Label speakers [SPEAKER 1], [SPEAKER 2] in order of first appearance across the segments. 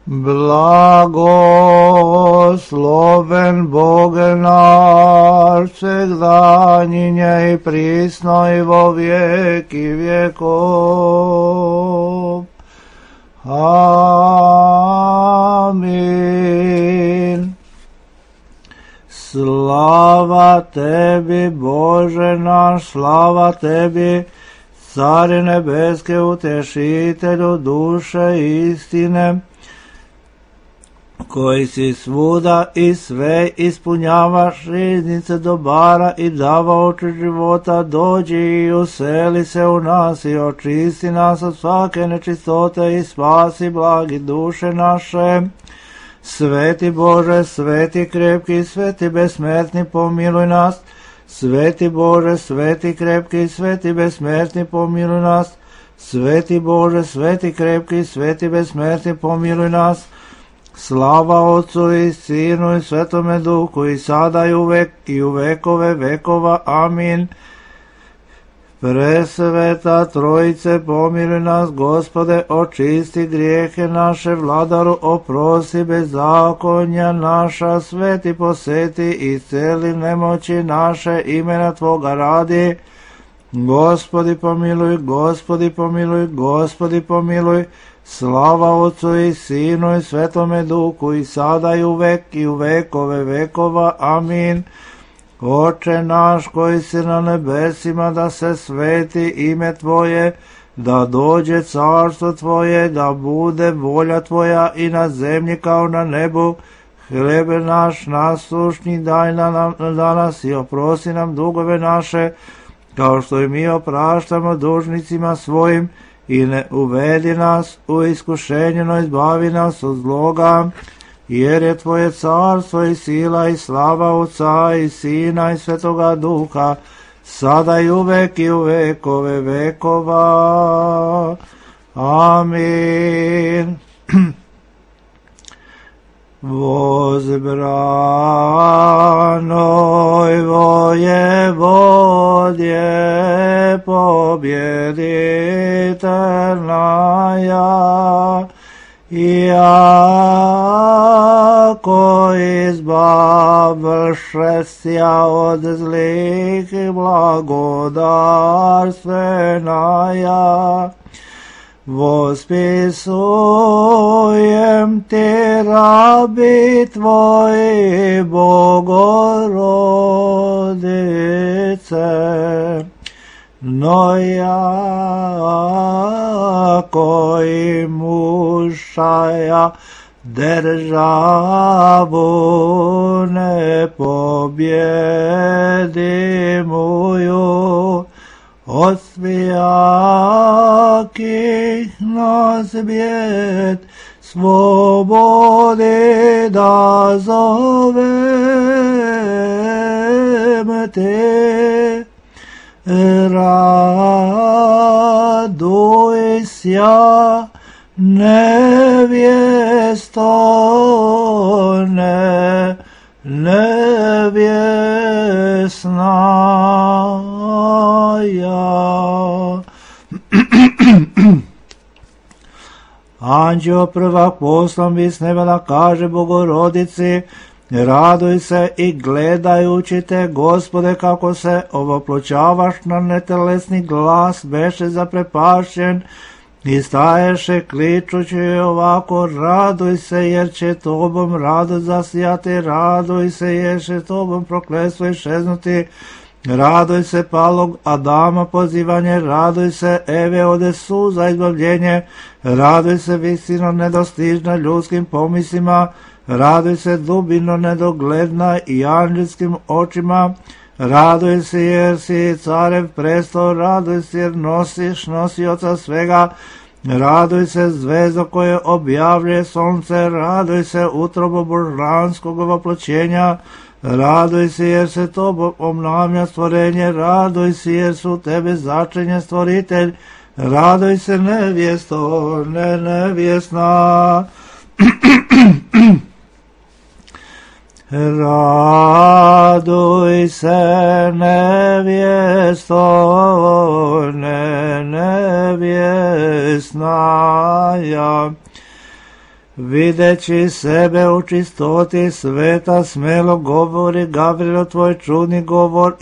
[SPEAKER 1] Blagosloven Boge naš, всегда и присно и во веки веков. Амин. Слава Теби, Боже наш, слава Теbi, Царе небеске, утешителю душе istine, koji si svuda i sve ispunjavaš, riznice dobara i davaoče života, dođi i useli se u nas i očisti nas od svake nečistote i spasi blagi duše naše. Sveti Bože, sveti krepki, sveti besmrtni, pomiluj nas. Sveti Bože, sveti krepki, sveti besmrtni, pomiluj nas. Sveti Bože, sveti krepki, sveti besmrtni, pomiluj nas. Slava Otcu i Sinu i Svetome Duhu, i sada i uvek i u vekove vekova. Amin. Presveta Trojice, pomiluj nas, Gospode, očisti grijehe naše, Vladaru, oprosti bezakonja naša, sveti poseti i celi nemoći naše, imena Tvoga radi. Gospodi pomiluj, Gospodi pomiluj, Gospodi pomiluj. Slava Otcu i Sinu i Svetome Duhu, i sada i uvek i u vekove vekova. Amin. Oče naš koji si na nebesima, da se sveti ime Tvoje, da dođe carstvo Tvoje, da bude volja Tvoja i na zemlji kao na nebu. Hlebe naš nasušni daj nam danas i oprosti nam dugove naše, kao što i mi opraštamo dužnicima svojim, i ne uvedi nas u iskušenje, no izbavi nas od zloga. Jer je Tvoje carstvo i sila i slava Otca i Sina i Svetoga Duha, sada i uvek i u vekove vekova. Amin. Возбранoj воеводje, побjeditelная, Iako izbavšesja od zlih blagodarstvenaja, vospisujem ti, rabi Tvoji, Bogorodice, no jako i mušaja državu ne pobjedimuju, od svijakih nas bjed svobodi da zovem te. Raduj sja, nevjesto, nevjesnaja. Anđeo prvak poslan bi s neba da kaže Bogorodici, raduj se i gledajući te, Gospode, kako se ovoploćavaš na netelesni glas, beše zaprepašćen i staješe kličući ovako, raduj se jer će Tobom radost zasijati, raduj se jer će Tobom prokletstvo išeznuti, raduj se palog Adama pozivanje, raduj se Eve ode suza izbavljenje, raduj se visino nedostižna ljudskim pomislima, raduj se dubino nedogledna i anđelskim očima, raduj se jer si carev prestol, raduj se jer nosiš nosioca svega, raduj se zvezdo koje objavljuje sunce, raduj se utrobo božanskog ovoploćenja, raduj se jer se Tobom obnavlja stvorenje, raduj se jer su Tebe začinjen stvoritelj, raduj se nevjesto, nevjesna. Raduj se nevjesto, nevjesnaja, Videći sebe u čistoti sveta, smelo govori Gavrilo, tvoj čudni govor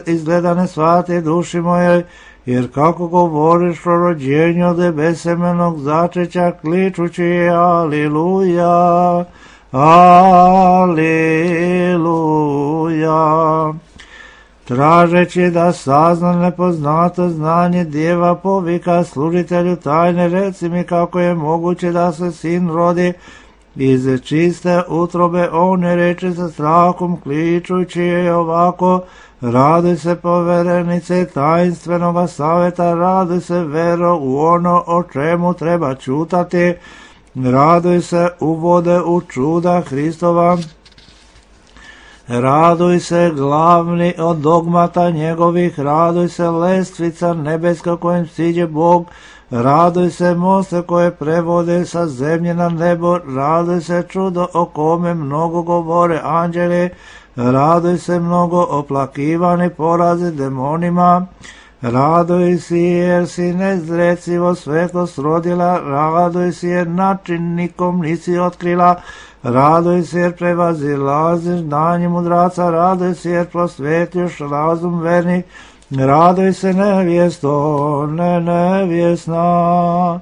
[SPEAKER 1] izgleda ne shvati duši mojoj, jer kako govoriš o rođenju od besemenog začeća, kličući Aliluja, Aliluja. Tražeći da sazna nepoznato znanje djeva, povika služitelju tajne, reci mi kako je moguće da se sin rodi iz čiste utrobe. On je reče sa strahom, kličući je ovako: raduj se poverenice tajinstvenoga saveta, raduj se vero u ono o čemu treba čutati, raduj se uvode u čuda Hristova, raduj se glavni od dogmata njegovih, raduj se lestvica nebeska kojim siđe Bog, raduj se moste koje prevode sa zemlje na nebo, raduj se čudo o kome mnogo govore anđeli, raduj se mnogo oplakivani porazi demonima, raduj si jer si nezrecivo svetlost rodila, raduj si jer način nikom nisi otkrila, raduj se jer prevazilaziš znanje mudraca, raduj se jer prosvetiš razum vernih, raduj se nevjesto, nevjesna,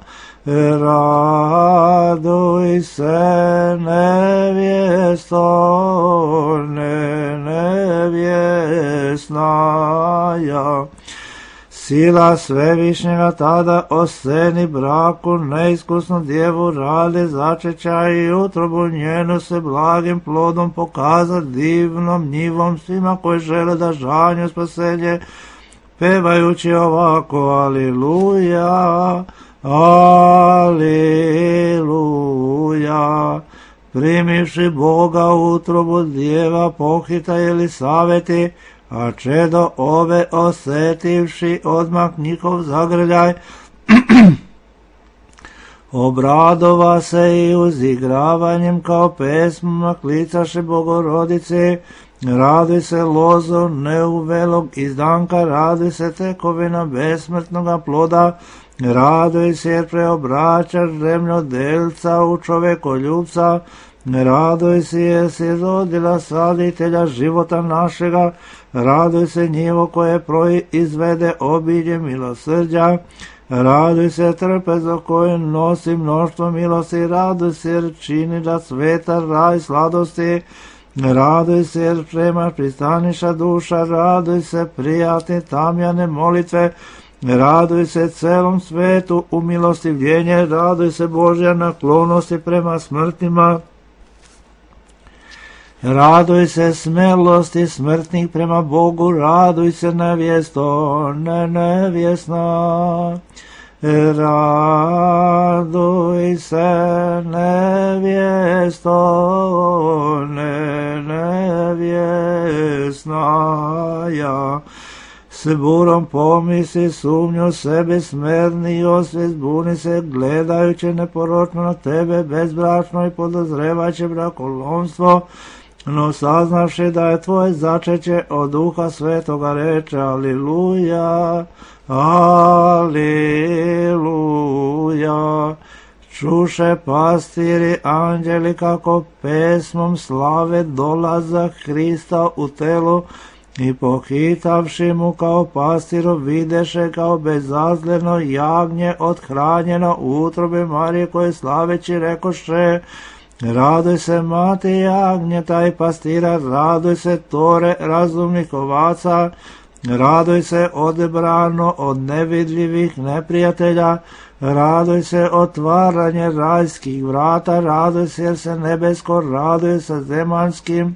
[SPEAKER 1] raduj se nevjesto, nevjesna, ja. Sila svevišnjega tada o sceni braku neiskusnu djevu rade začeća i utrobu njenu se blagim plodom pokaza divnom njivom svima koji žele da žanju spasenje, pevajući ovako: Aliluja, Aliluja. Primivši Boga u utrobu djeva pohita Elisaveti, a čedo ove osetivši odmah njihov zagrljaj, obradova se i uzigravanjem kao pesmama klicaše Bogorodice, raduj se lozo neuvelog izdanka, raduj se tekovina besmrtnoga ploda, raduj se jer preobraćaš zemljodelca u čovekoljubca, raduj se jer si rodila saditelja života našega, raduj se njivo koje proizvede obilje milosrđa, raduj se trpezo koje nosi mnoštvo milosti, raduj se jer čini da sveta raj sladosti, raduj se jer premaš pristaniša duša, raduj se prijatne tamjane molitve, raduj se celom svetu u milostivljenje, raduj se Božja naklonosti prema smrtnima, raduj se smelosti smrtnih prema Bogu, raduj se nevjesto, nevjesna, raduj se nevjesto, nevjesna, ja. S burom pomisli sumnju sebe smerni i osvijest buni se, gledajući neporočno na tebe bezbračno i podozrevajući brakolomstvo, no saznavši da je tvoje začeće od Duha Svetoga reče: Aliluja, Aliluja. Čuše pastiri anđeli kako pesmom slave dolazak Hrista u telu, i pohitavši mu kao pastiru videše kao bezazleno jagnje othranjeno u utrobi Marije, koje slaveći rekoše: raduj se mati jagnjeta i pastira, raduj se tore razumnih ovaca, raduj se odebrano od nevidljivih neprijatelja, raduj se otvaranje rajskih vrata, raduj se jer se nebesko raduje sa zemanskim,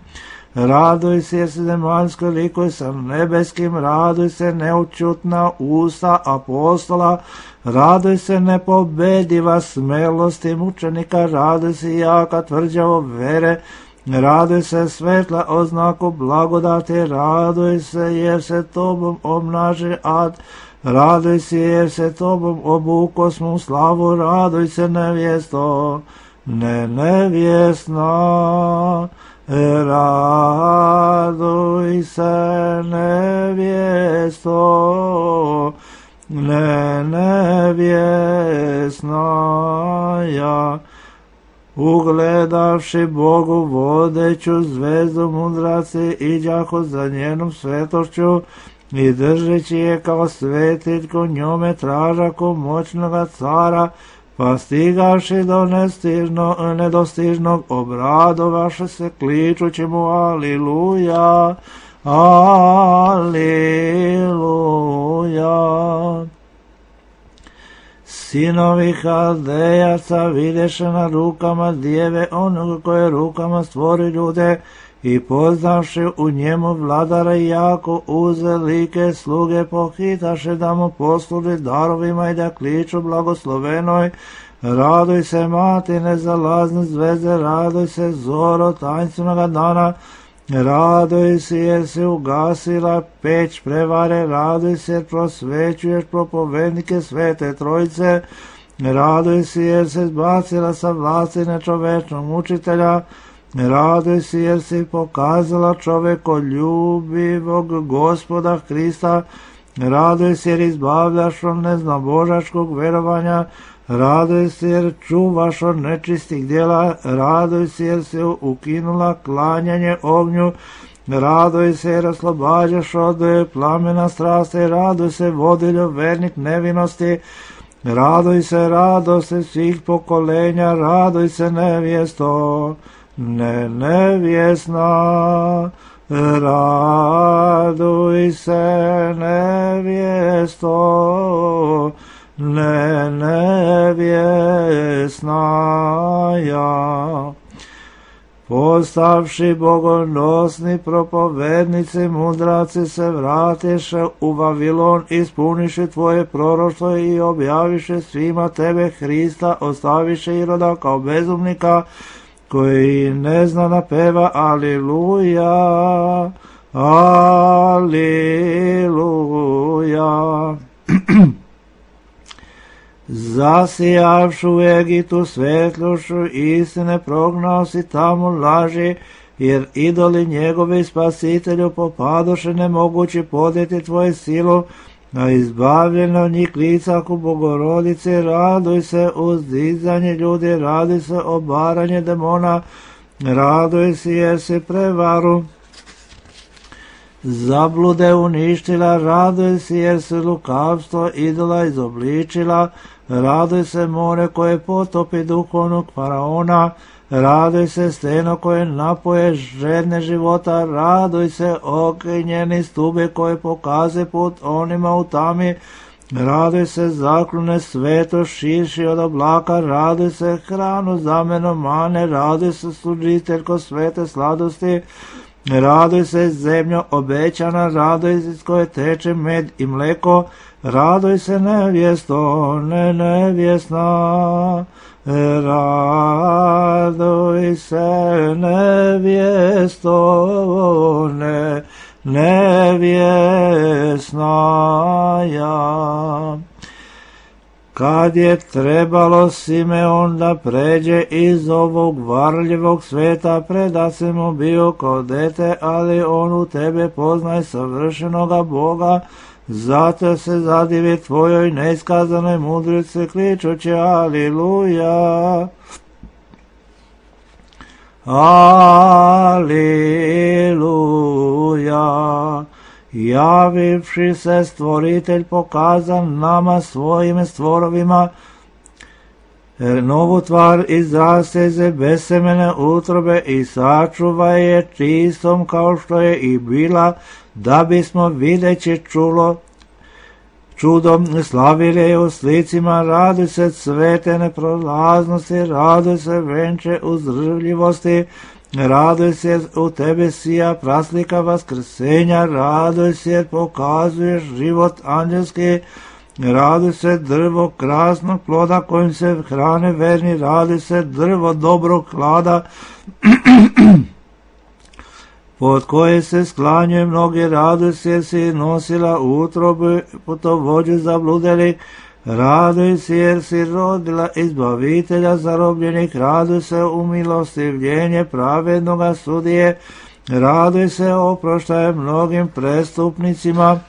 [SPEAKER 1] raduj se jer se zemaljsko likuje sa nebeskim, raduj se neučutna usta apostola, raduj se nepobediva smelosti mučenika, raduj se jaka tvrđavo vere, raduj se svetla oznaku blagodati, raduj se jer se tobom obnaži ad, raduj se jer se tobom obukosmu slavu, raduj se nevjesto, nevjesna, raduj se nevjesto, nevjesna, ja. ugledavši Bogu vodeću zvezdu mudraci iđahu za njenom svetošću i držeći je kao svetiljku njome tražaku moćnoga cara, pa stigavši do nedostižnog obradovaše se kličući mu aliluja, aliluja. Sinovi Haldejaca videše na rukama djeve onoga koje rukama stvori ljude i poznavši u njemu vladara jako uzelike sluge pohitaše da mu posluži darovima i da kliču blagoslovenoj. Raduj se mati nezalazne zvezde, raduj se zoro tańcinoga dana, raduj se jer si ugasila peć prevare, raduj se jer prosvećuješ propovednike svete trojice, raduj se jer se zbacila sa vlasti nečovečnog učitelja, raduj se jer si pokazala čovekoljubivog Gospoda Hrista, raduj se jer izbavljaš od neznabožačkog verovanja, raduj se jer čuvaš od nečistih djela, raduj se jer si ukinula klanjanje ognju, raduj se jer oslobađaš od plamena strasti, raduj se vodiljo vernik nevinosti, raduj se radosti svih pokolenja, raduj se nevjesto, nevjesna, raduj se nevjesto, nevjesna ja. Postavši bogonosni propovednici, mudraci se vratiše u Vavilon, ispuniše tvoje proroštvo i objaviše svima tebe Hrista, ostaviše Iroda kao bezumnika, koji ne zna da peva aliluja, aliluja. Zasijavšu u Egitu svetlošću istine, prognao si tamo laži, jer idoli njegovi spasitelju popadoše nemogući podjeti tvoju silu, a izbavljeno njih licaku Bogorodice, raduj se uzdizanje ljudi, raduj se obaranje demona, raduj se jer si prevaru zablude uništila, raduj se jer si lukavstvo idola izobličila, raduj se more koje potopi duhovnog faraona, raduj se steno koje napoje žedne života, raduj se okenjeni stube koje pokaze put onima u tami, raduj se zaklone sveto širši od oblaka, raduj se hranu zameno mane, raduj se služiteljko svete sladosti, raduj se zemljo obećana, raduj se s koje teče med i mleko, raduj se nevjesto, nevjesna, raduj se nevjesto, nevjesna ja. Kad je trebalo Simeon da pređe iz ovog varljivog sveta, preda se mu bio kao dete, ali on u tebe poznaj savršenoga Boga, zato se zadivi tvojoj neiskazanoj mudrici, kličući aliluja, aliluja. Javivši se stvoritelj pokazan nama svojim stvorovima, novu tvar izraste iz besemene utrobe i sačuva je čistom kao što je i bila, da bismo videći čudom slavili je u slicima, raduj se cvete neprolaznosti, raduj se venče uzdržljivosti, raduj se u tebe sija praslika vaskrsenja, raduj se jer pokazuješ život anđelski, raduj se drvo krasnog ploda kojim se hrane verni, raduj se drvo dobrog hlada pod koje se sklanjuje mnogi, raduj se jer si nosila utrobu putovođu zabludeli, raduj se jer si rodila izbavitelja zarobljenih, raduj se umilostivljenje pravednoga sudije, raduj se oproštaje mnogim prestupnicima,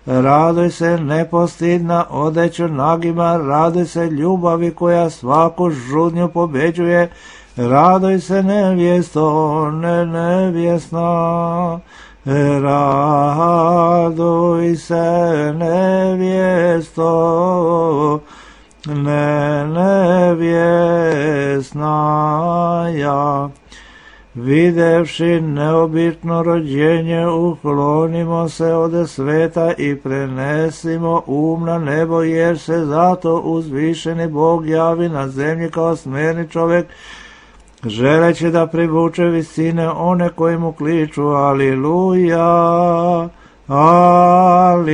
[SPEAKER 1] raduj se nepostidna odeću nagima, raduj se ljubavi koja svaku žudnju pobeđuje, Raduj se nevjesto, nevjesna, raduj se nevjesto, nevjesna ja. Videvši neobično rođenje, uklonimo se od sveta i prenesimo na nebo, jer se zato uzvišeni Bog javi na zemlji kao smjerni čovjek, želeći da privuče visine one koji mu kliču. Aliluja, aliluja.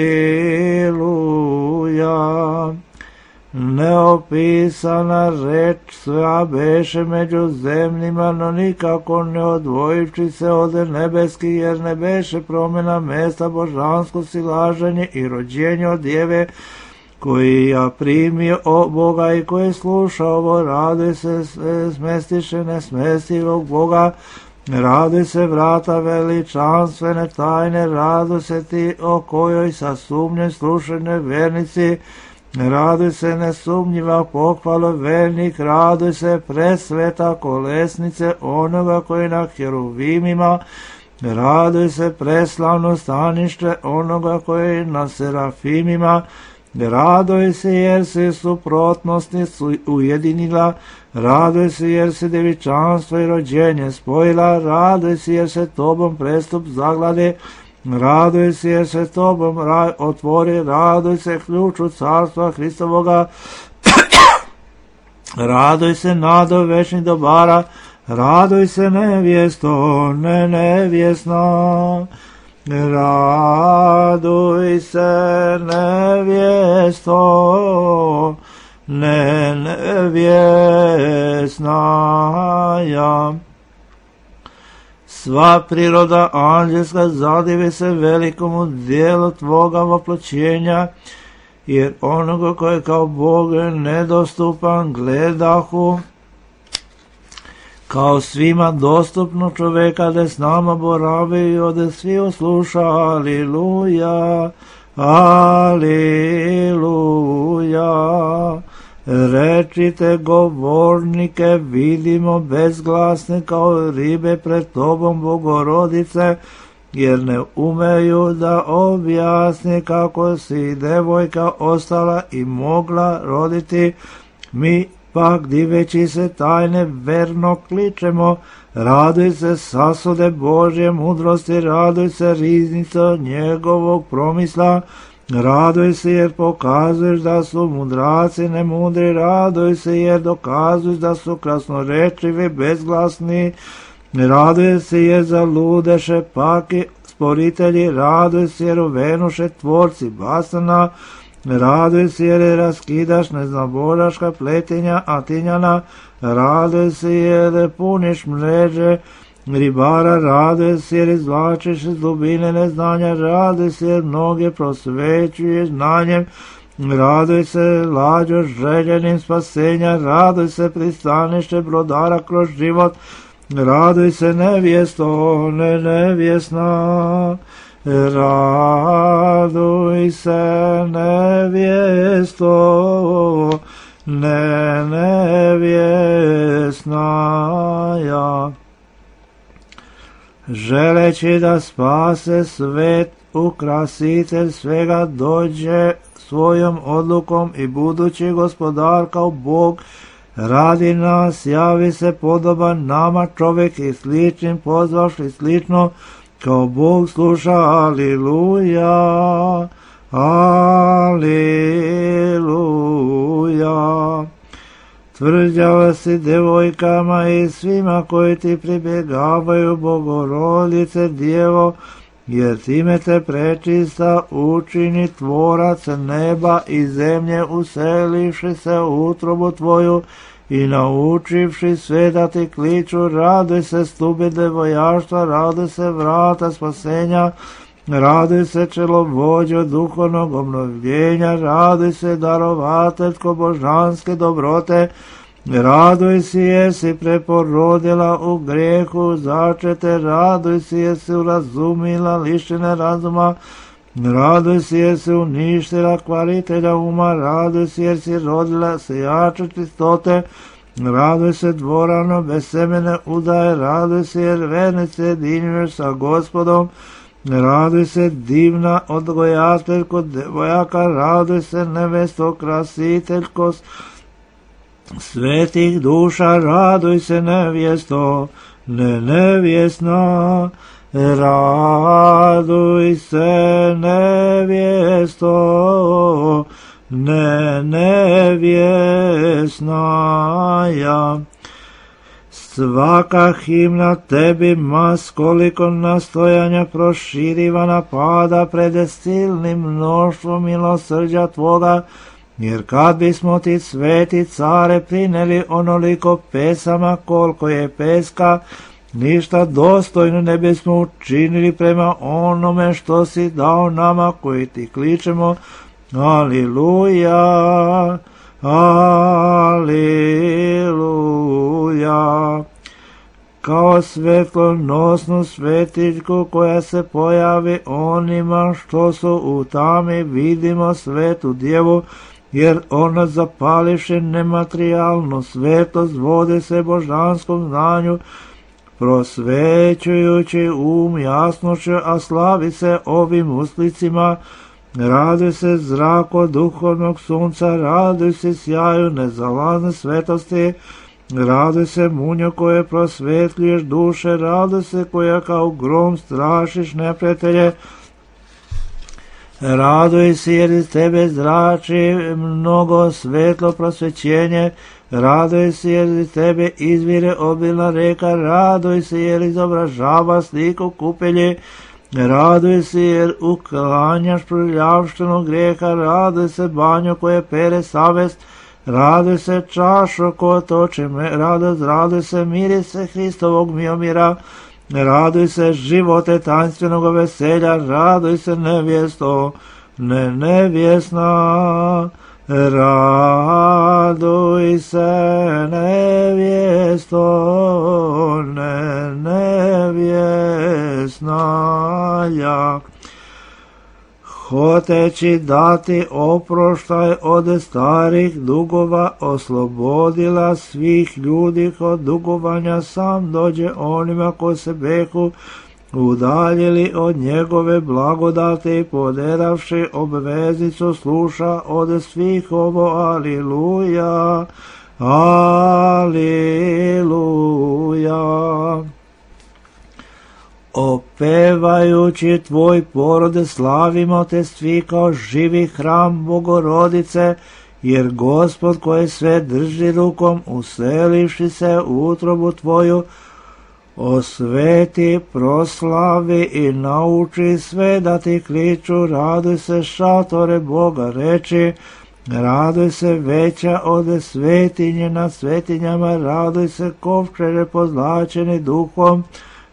[SPEAKER 1] Neopisana reč sva beše među zemljima, no nikako ne odvojivši se od nebeski, jer ne beše promjena mesta božansko silaženje i rođenje od djeve, koji ja primio o Boga i koji sluša ovo. Raduj se smestiše nesmestivog Boga, raduj se vrata veličanstvene tajne, raduj se ti o kojoj sa sumnjem slušane vernici, raduj se nesumnjiva pohvala vernik, raduj se presveta kolesnice onoga koji na heruvimima, raduj se preslavno stanište onoga koji na serafimima, raduj se jer si suprotnosti ujedinila, raduj se jer si devičanstvo i rođenje spojila, raduj se jer se tobom prestup zaglade, raduj se jer se tobom raj otvori, raduj se ključu carstva Hristovoga, raduj se nado večnih dobara, raduj se nevjesto, nevjesna, raduj se nevjesto, nevjesna ja. Sva priroda anđelska zadivi se velikomu dijelu tvoga voploćenja, jer onoga koji kao Bog nedostupan gledahu, kao svima dostupno čoveka, da s nama boravi i ode svi osluša. Aliluja, aliluja. Rečite govornike, vidimo bezglasne kao ribe pred tobom, Bogorodice, jer ne umeju da objasni kako si devojka ostala i mogla roditi. Mi pak diveći se tajne verno kličemo, raduj se sasude Božje mudrosti, raduj se riznico njegovog promisla, raduj se jer pokazuješ da su mudraci nemudri, raduj se jer dokazuješ da su krasnorečivi bezglasni, raduj se jer zaludeše paki sporitelji, raduj se jer uvenuše tvorci basana, raduj se jer raskidaš neznaboraška pletenja Atinjana, raduj se jer puniš mreže ribara, raduj se jer izvlačiš iz dubine neznanja, raduj se jer mnoge prosvećuješ znanjem, raduj se lađo željenim spasenja, raduj se pristanište brodara kroz život, raduj se nevjesto, nevjesna, raduj se nevjesto, nevjesna ja. Želeći da spase svet, ukrasitelj svega dođe svojom odlukom i budući gospodar kao Bog radi nas, javi se podoban nama čovjek i sličnim pozvaš i slično kao Bog sluša. Aliluja, aliluja. Tvrđava si devojkama i svima koji ti pribjegavaju, Bogorodice Djevo, jer time te prečista učini tvorac neba i zemlje, uselivši se u utrobu tvoju i naučivši sve da ti kliču. Raduj se stube devojaštva, raduj se vrata spasenja, raduj se čelovođo duhovnog obnovljenja, raduj se darovateljko božanske dobrote, raduj se jer si preporodila u grijehu začete, raduj se jer si urazumila lišene razuma, raduj se jer si uništila kvaritelja uma, raduj se jer si rodila sejače čistote, Raduj se dvorano bez semene udaje, raduj se jer vernice jedinjuješ sa Gospodom, raduj se divna odgojateljko devojaka, raduj se nevesto krasiteljko svetih duša, raduj se nevjesto, nevjesna, raduj se nevjesto, nevjesna ja. Svaka himna tebi mas koliko nastojanja proširivana pada pred silnim mnoštvom milosrđa tvoga, jer kad bismo ti sveti care prineli onoliko pesama koliko je peska, ništa dostojno ne bismo učinili prema onome što si dao nama koji ti kličemo Aliluja, Aliluja. Kao svetlonosnu svetiljku koja se pojavi onima što su u tami, vidimo svetu djevu, jer ona zapališe nematerijalnu svetost, vode se božanskom znanju, prosvećujući jasnošću, a slavi se ovim uslicima. Raduj se zrako duhovnog sunca, raduj se sjaju nezalazne svetosti, raduj se munjo koje prosvetljuješ duše, raduj se koja kao grom strašiš neprijatelje, raduj se jer iz tebe zrači mnogo svetlo prosvećenje, raduj se jer iz tebe izvire obilna reka, raduj se jer izobražava sliku kupelje, raduj se jer uklanjaš prljavštinu grijeha, raduj se banjo koje pere savest, raduj se čašo ko toče radost, raduj se mirise Hristovog miomira, raduj se živote tainstvenog veselja, raduj se nevjesto, nevjesna, raduj se nevjesto, nevjesna ja. Hoteći dati oproštaj od starih dugova, oslobodila svih ljudi od dugovanja, sam dođe onima koji se behu udaljili od njegove blagodati i poderavši obveznicu sluša od svih ovo aliluja, aliluja. Opevajući tvoj porod slavimo te svi kao živi hram Bogorodice, jer Gospod koji sve drži rukom, uselivši se u utrobu tvoju, osveti, proslavi i nauči sve da ti kliču, raduj se šatore Boga reči, raduj se veća od svetinje nad svetinjama, raduj se kovčege pozlačeni duhom,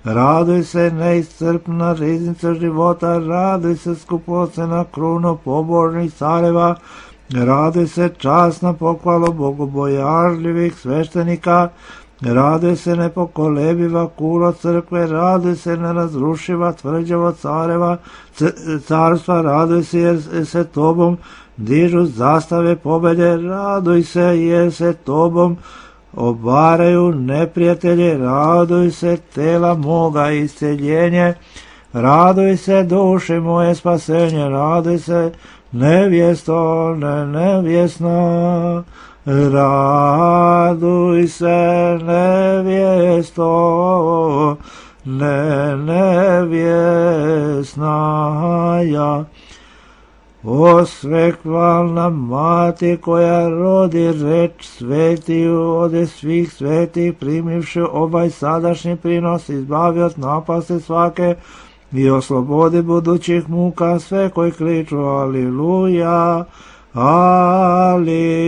[SPEAKER 1] raduj se neiscrpna riznica života, raduj se skupocena kruno pobožnih careva, raduj se časna pohvalo bogobojažljivih sveštenika, raduj se nepokolebiva kulo crkve, raduj se nerazrušiva tvrđavo carstva, raduj se jer se tobom dižu zastave pobjede, raduj se jer se tobom obaraju neprijatelji, raduj se tela moga isceljenje, raduj se duše moje spasenje, raduj se nevjesto, nevjesna, raduj se nevjesto, nevjesna ja. O svekvalna mati koja rodi reč svetiju od svih svetih, primivši ovaj sadašnji prinos, izbavi od napasti svake i oslobodi budućih muka sve koji kliču aliluja, aliluja.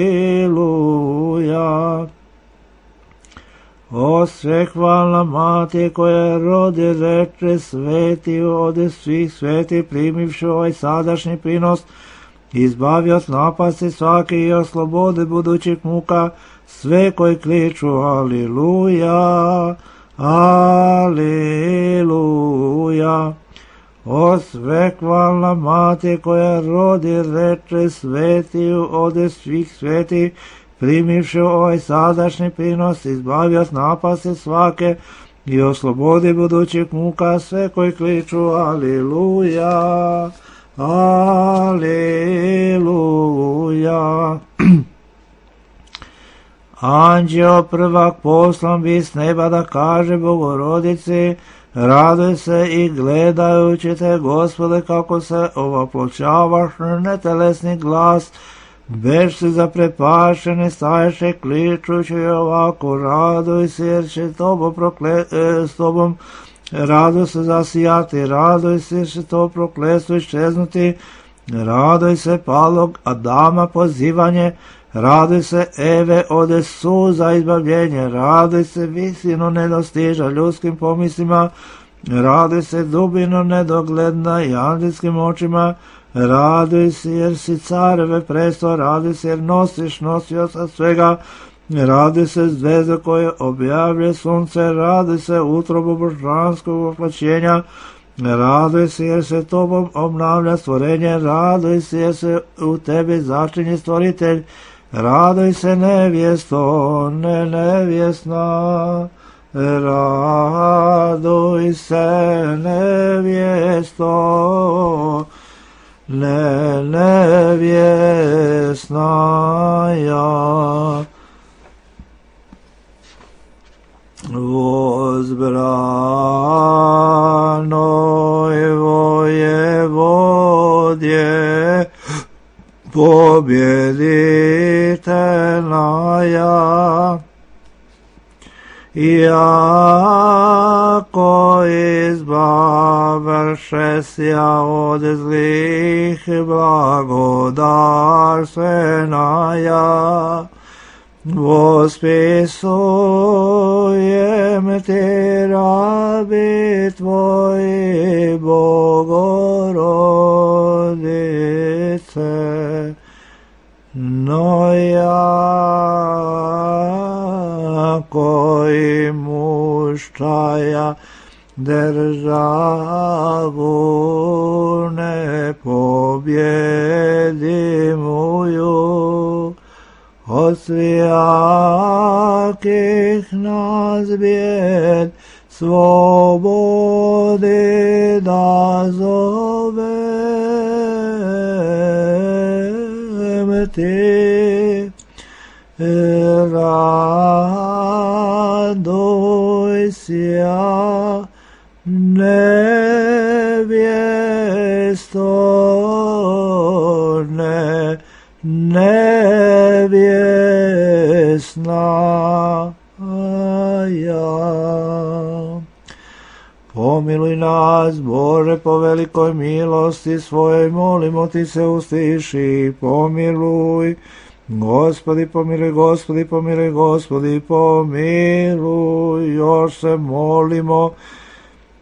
[SPEAKER 1] O svekvalna mati koja rodi reče svetiju od svih sveti, primivši ovaj sadašnji prinos, izbavi od napasti svaki i oslobodi budućih muka sve koji kliču aliluja, aliluja. O svekvalna mati koja rodi reče svetiju od svih sveti, primivši ovaj sadašnji prinos, izbavi od napasti svake i oslobodi budućih muka sve koji kliču Aliluja, Aliluja. Anđeo prvak poslan bi s neba da kaže Bogorodici, raduj se i gledajući te, Gospode, kako se ovoploćavaš, netelesni glas, bež si zaprepašeni, staješe kličući ovako, raduj se jer će s tobom raduj se zasijati, raduj se jer će to prokletstvo iščeznuti, raduj se palog Adama pozivanje, raduj se Eve ode suza izbavljenje, raduj se visino nedostiža ljudskim pomislima, raduj se dubino nedogledna i anđelskim očima, raduj se jer si careve presto, raduj se jer nosiš nosioca svega, raduj se zvezda koje objavlje sunce, raduj se utrobu božanskog oplaćenja, raduj se jer se tobom obnavlja stvorenje, raduj se jer se u tebi začinje stvoritelj, raduj se nevjesto, nevjesna, raduj se nevjesto, nevjesna ja. Возбранoj vojevodje, pobjeditelnaja, iako izbavršesja od zlih blagodarstvenaja, vospisujem ti rabi tvoji, Bogorodice, no jako i muščaja državu ne pobjedimuju, od svijakih nas bijed slobodi da zovem ti, raduj sja nevjesto, nevjesna ja. Pomiluj nas, Bože, po velikoj milosti svojoj, molimo ti se, ustiši, pomiluj. Gospodi pomiluj, Gospodi pomiluj, Gospodi pomiluj, još se molimo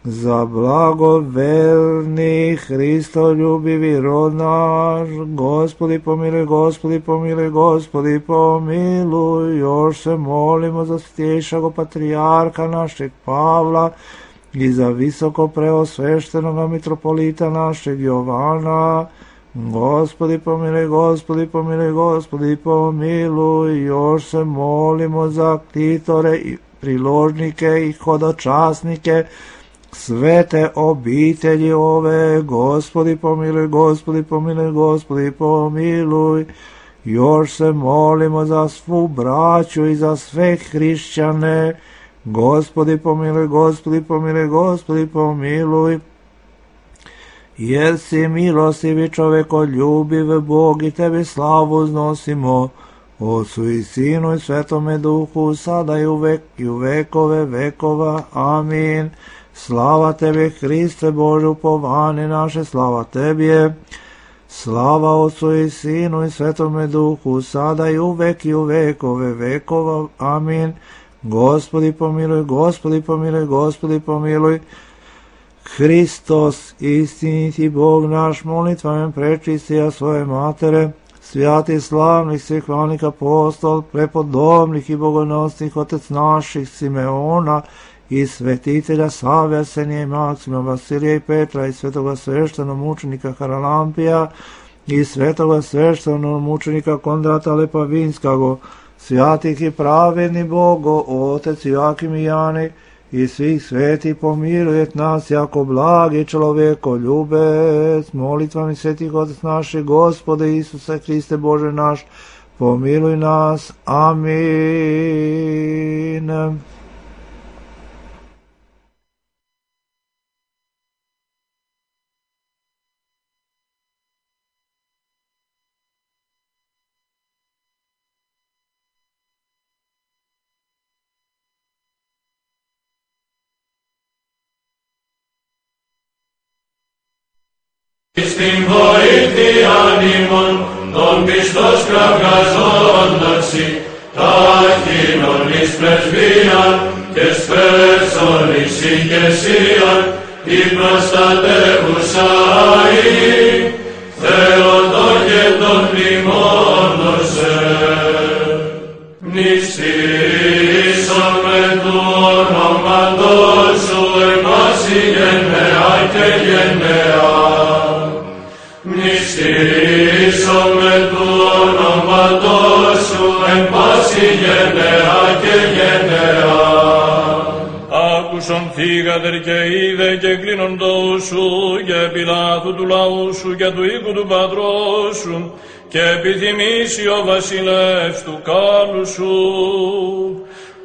[SPEAKER 1] za blagoverni Hristoljubivi rod naš. Gospodi pomiluj, Gospodi pomiluj, Gospodi pomiluj, još se molimo za svjetejšeg patrijarha našeg Pavla i za visoko preosveštenog mitropolita našeg Jovana. Gospodi pomiluj, Gospodi pomiluj, Gospodi pomiluj, još se molimo za ktitore i priložnike i hodočasnike svete obitelji ove. Gospodi pomiluj, Gospodi pomiluj, Gospodi pomiluj, još se molimo za svu braću i za sve hrišćane. Gospodi pomiluj, Gospodi pomiluj, Gospodi pomiluj, jer si milostivi čovekoljubiv Bog i tebi slavu uznosimo, Otcu i Sinu i Svetome Duhu, sada i uvek i u vekove vekova. Amin. Slava tebi, Hriste Bože, upovanje naše, slava tebi je. Slava Otcu i Sinu i Svetome Duhu, sada i uvek i u vekove vekova. Amin. Gospodi pomiluj, Gospodi pomiluj, Gospodi pomiluj. Hristos, istiniti Bog naš, molitvama prečistija svoje matere, svijati slavnih svih hvalnih apostol, prepodobnih i bogonosnih otec naših Simeona i svetitelja Save, Arsenija i Maksima, Vasilija i Petra i svetoga sveštenog mučenika Haralampija i svetoga sveštenog mučenika Kondrata Lepavinskog, svjatih i pravedni Bogo, Otec Joakim i Jani, i svih sveti pomilujet nas jako blagi čovjeko ljubec, molitvami svetih Otac naših, Gospode Isuse Hriste Bože naš, pomiluj nas. Amin.
[SPEAKER 2] Στην βοήθειαν ημών, των πιστός κραυγαζόντας τάχινον εις πρεσβείαν και σπέρσον εις ηγεσίαν, η προστατεύουσα Θεότο και τον μνημόνωσε. Μνηστήσον με του ονόματος σου εμάση γενναία και γενναία. Μνηστήσον με του ονόματος σου εν πάση γενναία και γενναία. Άκουσον θύγατερ και είδε και κλείνοντος σου και Πιλάθου του λαού σου και του οίκου του πατρός σου και επιθυμήσει ο βασιλεύς του κάλου σου.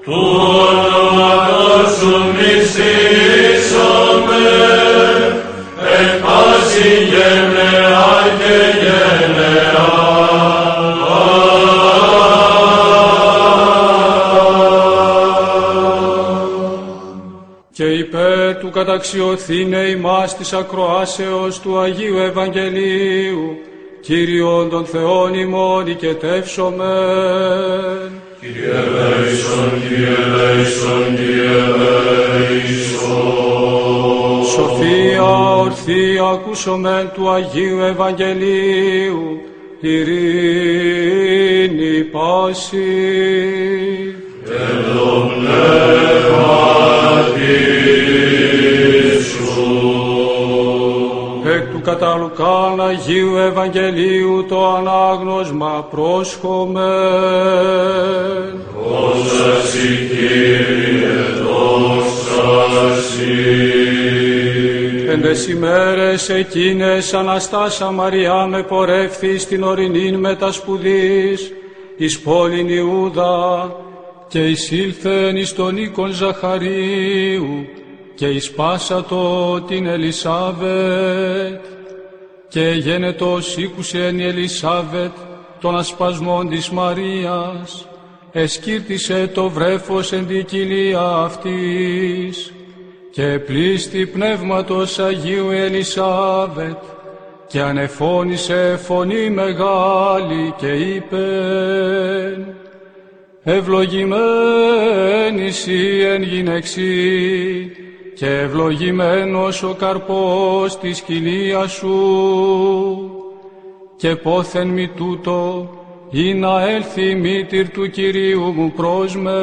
[SPEAKER 2] Του ονόματος σου μνηστήσομαι εν πάση γενναία και γενναία.
[SPEAKER 3] Και υπέρ του καταξιωθήνε ημάς της ακροάσεως του Αγίου Ευαγγελίου, Κύριον των Θεών ημών οικετεύσομεν.
[SPEAKER 2] Κύριε ελέησον, Κύριε ελέησον, Κύριε ελέησον.
[SPEAKER 3] Σοφία ορθή ακούσομεν του Αγίου Ευαγγελίου, ειρήνη πάση.
[SPEAKER 2] Εν το πνεύματι σου.
[SPEAKER 3] Εκ του κατά Λουκάν Αγίου Ευαγγελίου το ανάγνωσμα πρόσχομεν.
[SPEAKER 2] Δόξα σοι, Κύριε, δόξα σοι.
[SPEAKER 3] Εν τες ημέρες εκείνες Αναστάσα Μαριά με πορεύθη στην ορεινήν μετασπουδής εις πόλην Ιούδα και εισήλθεν εις τον οίκον Ζαχαρίου και εις πάσατο την Ελισάβετ και γένετος ήκουσεν η Ελισάβετ των ασπασμών της Μαρίας, εσκύρτησε το βρέφος εν την κοιλία αυτής και πλήστη πνεύματος Αγίου Ελισάβετ και ανεφώνησε φωνή μεγάλη και είπεν: ευλογημένη σοι εν γυναιξί και ευλογημένος ο καρπός της κοιλίας σου. Και πόθεν μη τούτο ή να έλθει η μήτηρ του Κυρίου μου προς με.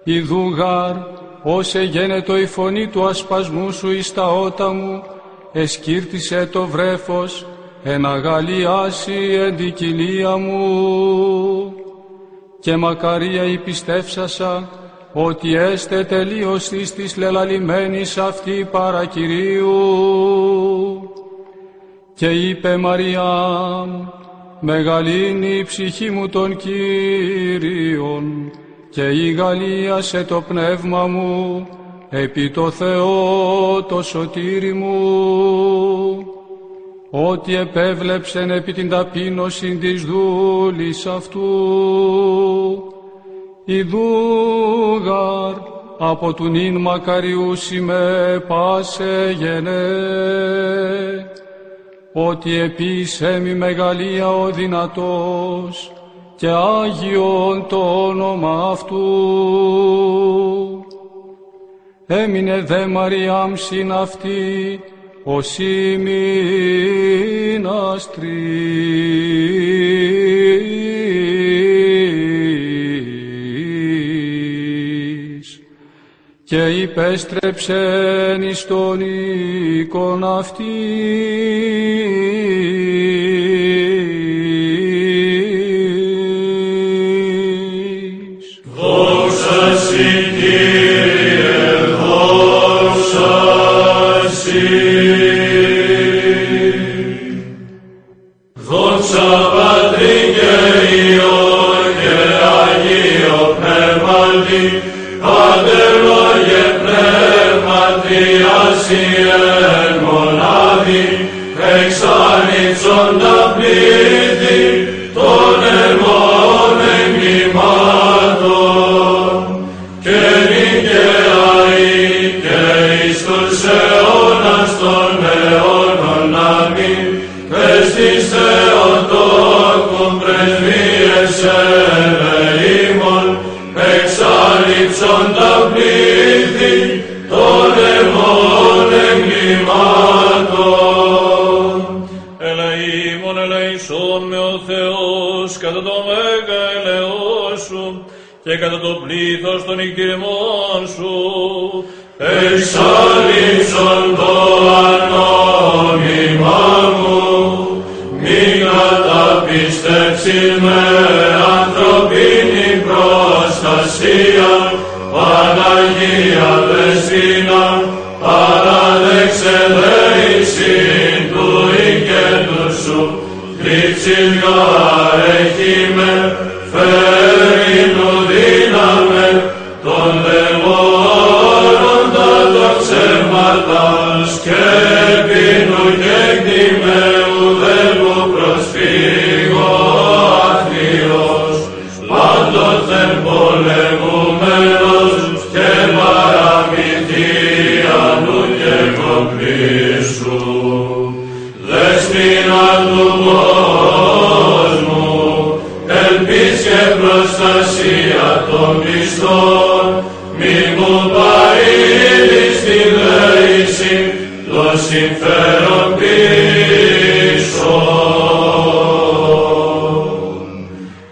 [SPEAKER 3] Ιδού γάρ, ως εγένετο η φωνή του ασπασμού σου εις τα ότα μου, εσκύρτησε το βρέφος, εν αγαλιάσει εν την κοιλία μου. Και μακαρία η πιστεύσασα, ότι έστε τελείως της λελαλημένης αυτή παρά Κυρίου. Και είπε Μαριάμ: μεγαλύνει η ψυχή μου των Κύριων και ηγαλίασε το πνεύμα μου επί το Θεό το σωτήρι μου, ότι επέβλεψεν επί την ταπείνωση της δούλης αυτού. Ιδούγαρ από του νυν μακαριούσι με πάσε γενέ, ότι επίσε μη μεγαλεία ο δυνατός και Άγιον το όνομα αυτού. Έμεινε δε Μαριάμ συν αυτή ως ημιναστρής και υπέστρεψεν εις τον οίκον αυτή.
[SPEAKER 2] αγιάσει εν μονάδι, εξάνιτσοντα πλήθη των ερμών εγκλημάτων, και νικαιαεί και εις τους αιώνας των αιώνων αμήν, πες της Θεοτόκου πρεσβείες ελεήμων, εξάλειψοντα πλήθη των ερμών εγκλημάτων.
[SPEAKER 4] Ελεήμων ελεησόν με ο Θεός κατά το μέγα ελεός σου και κατά το πλήθος των νηκτηριμών σου.
[SPEAKER 2] Εξάλειψον το ανώνυμά μου, μη καταπιστέψεις με ανθρωπίνη προστασία, Παναγία Δεσπόινα, παράδεξε δεησιν του οικέτου σου, κρύψεις γαρέχη με, φέρεινου δύναμε, των δαιμόνων τα τοξεύματας, και πίνου και κτημαίου δεύου προσφύγω αθλίος, πάντοτε πολεμούμενος και παραμυθίανου και κομπλήσου. Δεσπόινα του κόσμου, ελπίς και προστασία των πιστών, μη μου παρήλεις τη δέηση, το συμφέρον πίσω.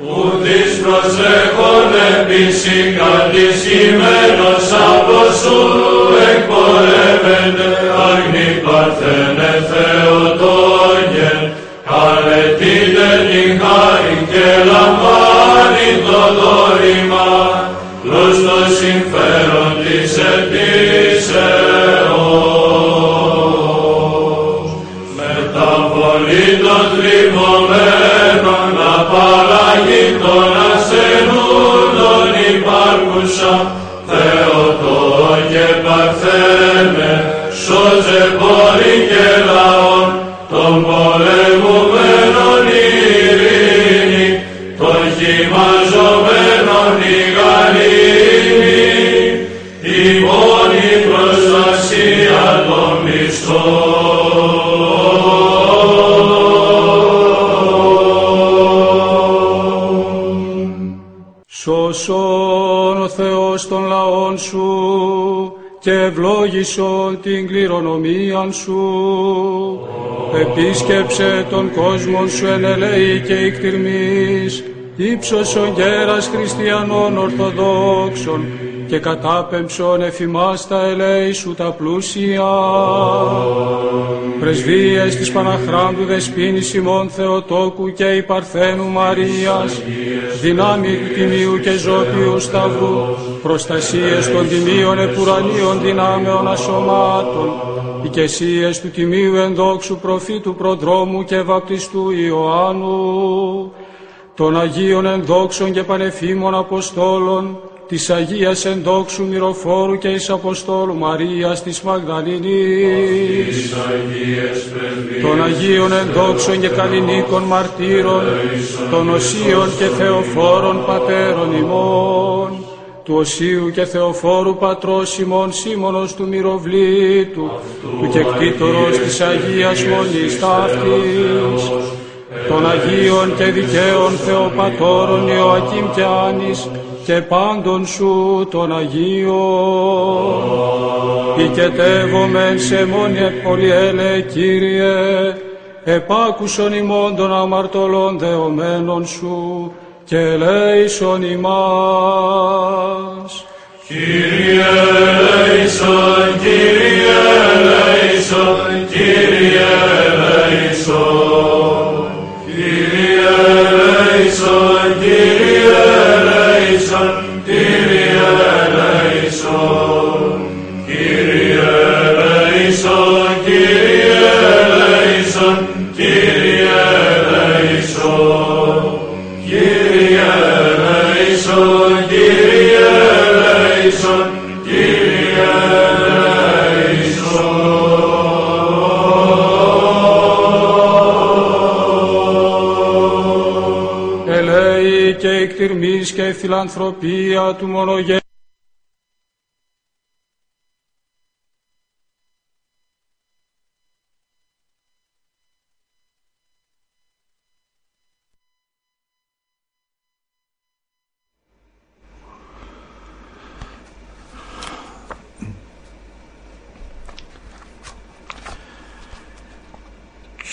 [SPEAKER 2] Ουδείς προσέχον επίση κατησχημένος από σου, εκπορεύεται αγνή παρθένε Θεοτόγε, καλετείτε την χάρη και λαμβάνει το δώρημα, προς το συμφέρον της εκκλησεώς. Μεταβολή των θλιμωμένων, απαλλαγή των ασθενούντων υπάρχουσα, Θεοτόκε Παρθένε, σώζε πόλη και λαόν, των πολεμουμένων ειρήνη, των χυμαζομένων η γαλήνη, η μόνη προστασία των πιστών.
[SPEAKER 3] Σώσον ο Θεός των λαών σου και ευλόγησον την κληρονομίαν σου. Επίσκεψε τον κόσμον σου εν ελέη και ικτυρμής, ύψωσον γέρας χριστιανών ορθοδόξων και κατάπεμψον εφημάς τα ελέη σου τα πλούσια. Πρεσβείες της Παναχράντου Δεσποίνης ημών Θεοτόκου και η Παρθένου Μαρίας, δυνάμει του Τιμίου και Ζώπιου Σταυρού, προστασίες των τιμίων επουρανίων δυνάμεων ασωμάτων, οικεσίες του Τιμίου ενδόξου προφήτου προδρόμου και βαπτιστού Ιωάννου, των Αγίων ενδόξων και πανεφήμων Αποστόλων, της Αγίας ενδόξου Μυροφόρου και εις Αποστόλου Μαρίας της Μαγδαληνής, των Αγίων ενδόξων και καλλινίκων μαρτύρων, των Οσίων και Θεοφόρων πατέρων ημών, του Οσίου και Θεοφόρου πατρός ημών Σίμωνος του Μυροβλήτου, του κεκτήτορος της Αγίας Μονής ταύτης, των Αγίων και δικαίων Θεοπατώρων Ιωακήμ και Άνης και πάντων σου των Αγίων. Οικετεύομεν σε μόνοι πολυέλε Κύριε, επάκουσον ημών των αμαρτωλών δεωμένων σου και ελέησον ημάς.
[SPEAKER 2] Κύριε ελέησον, Κύριε ελέησον, Κύριε ελέησον. Κύριε ελέησον, Κύριε ελέησον, Κύριε ελέησον. Κύριε ελέησον, Κύριε ελέησον, Κύριε ελέησον. Κύριε ελέησον, Κύριε ελέησον, Κύριε ελέησον.
[SPEAKER 3] εχτυρμής και φιλανθρωπία του μονογέννητου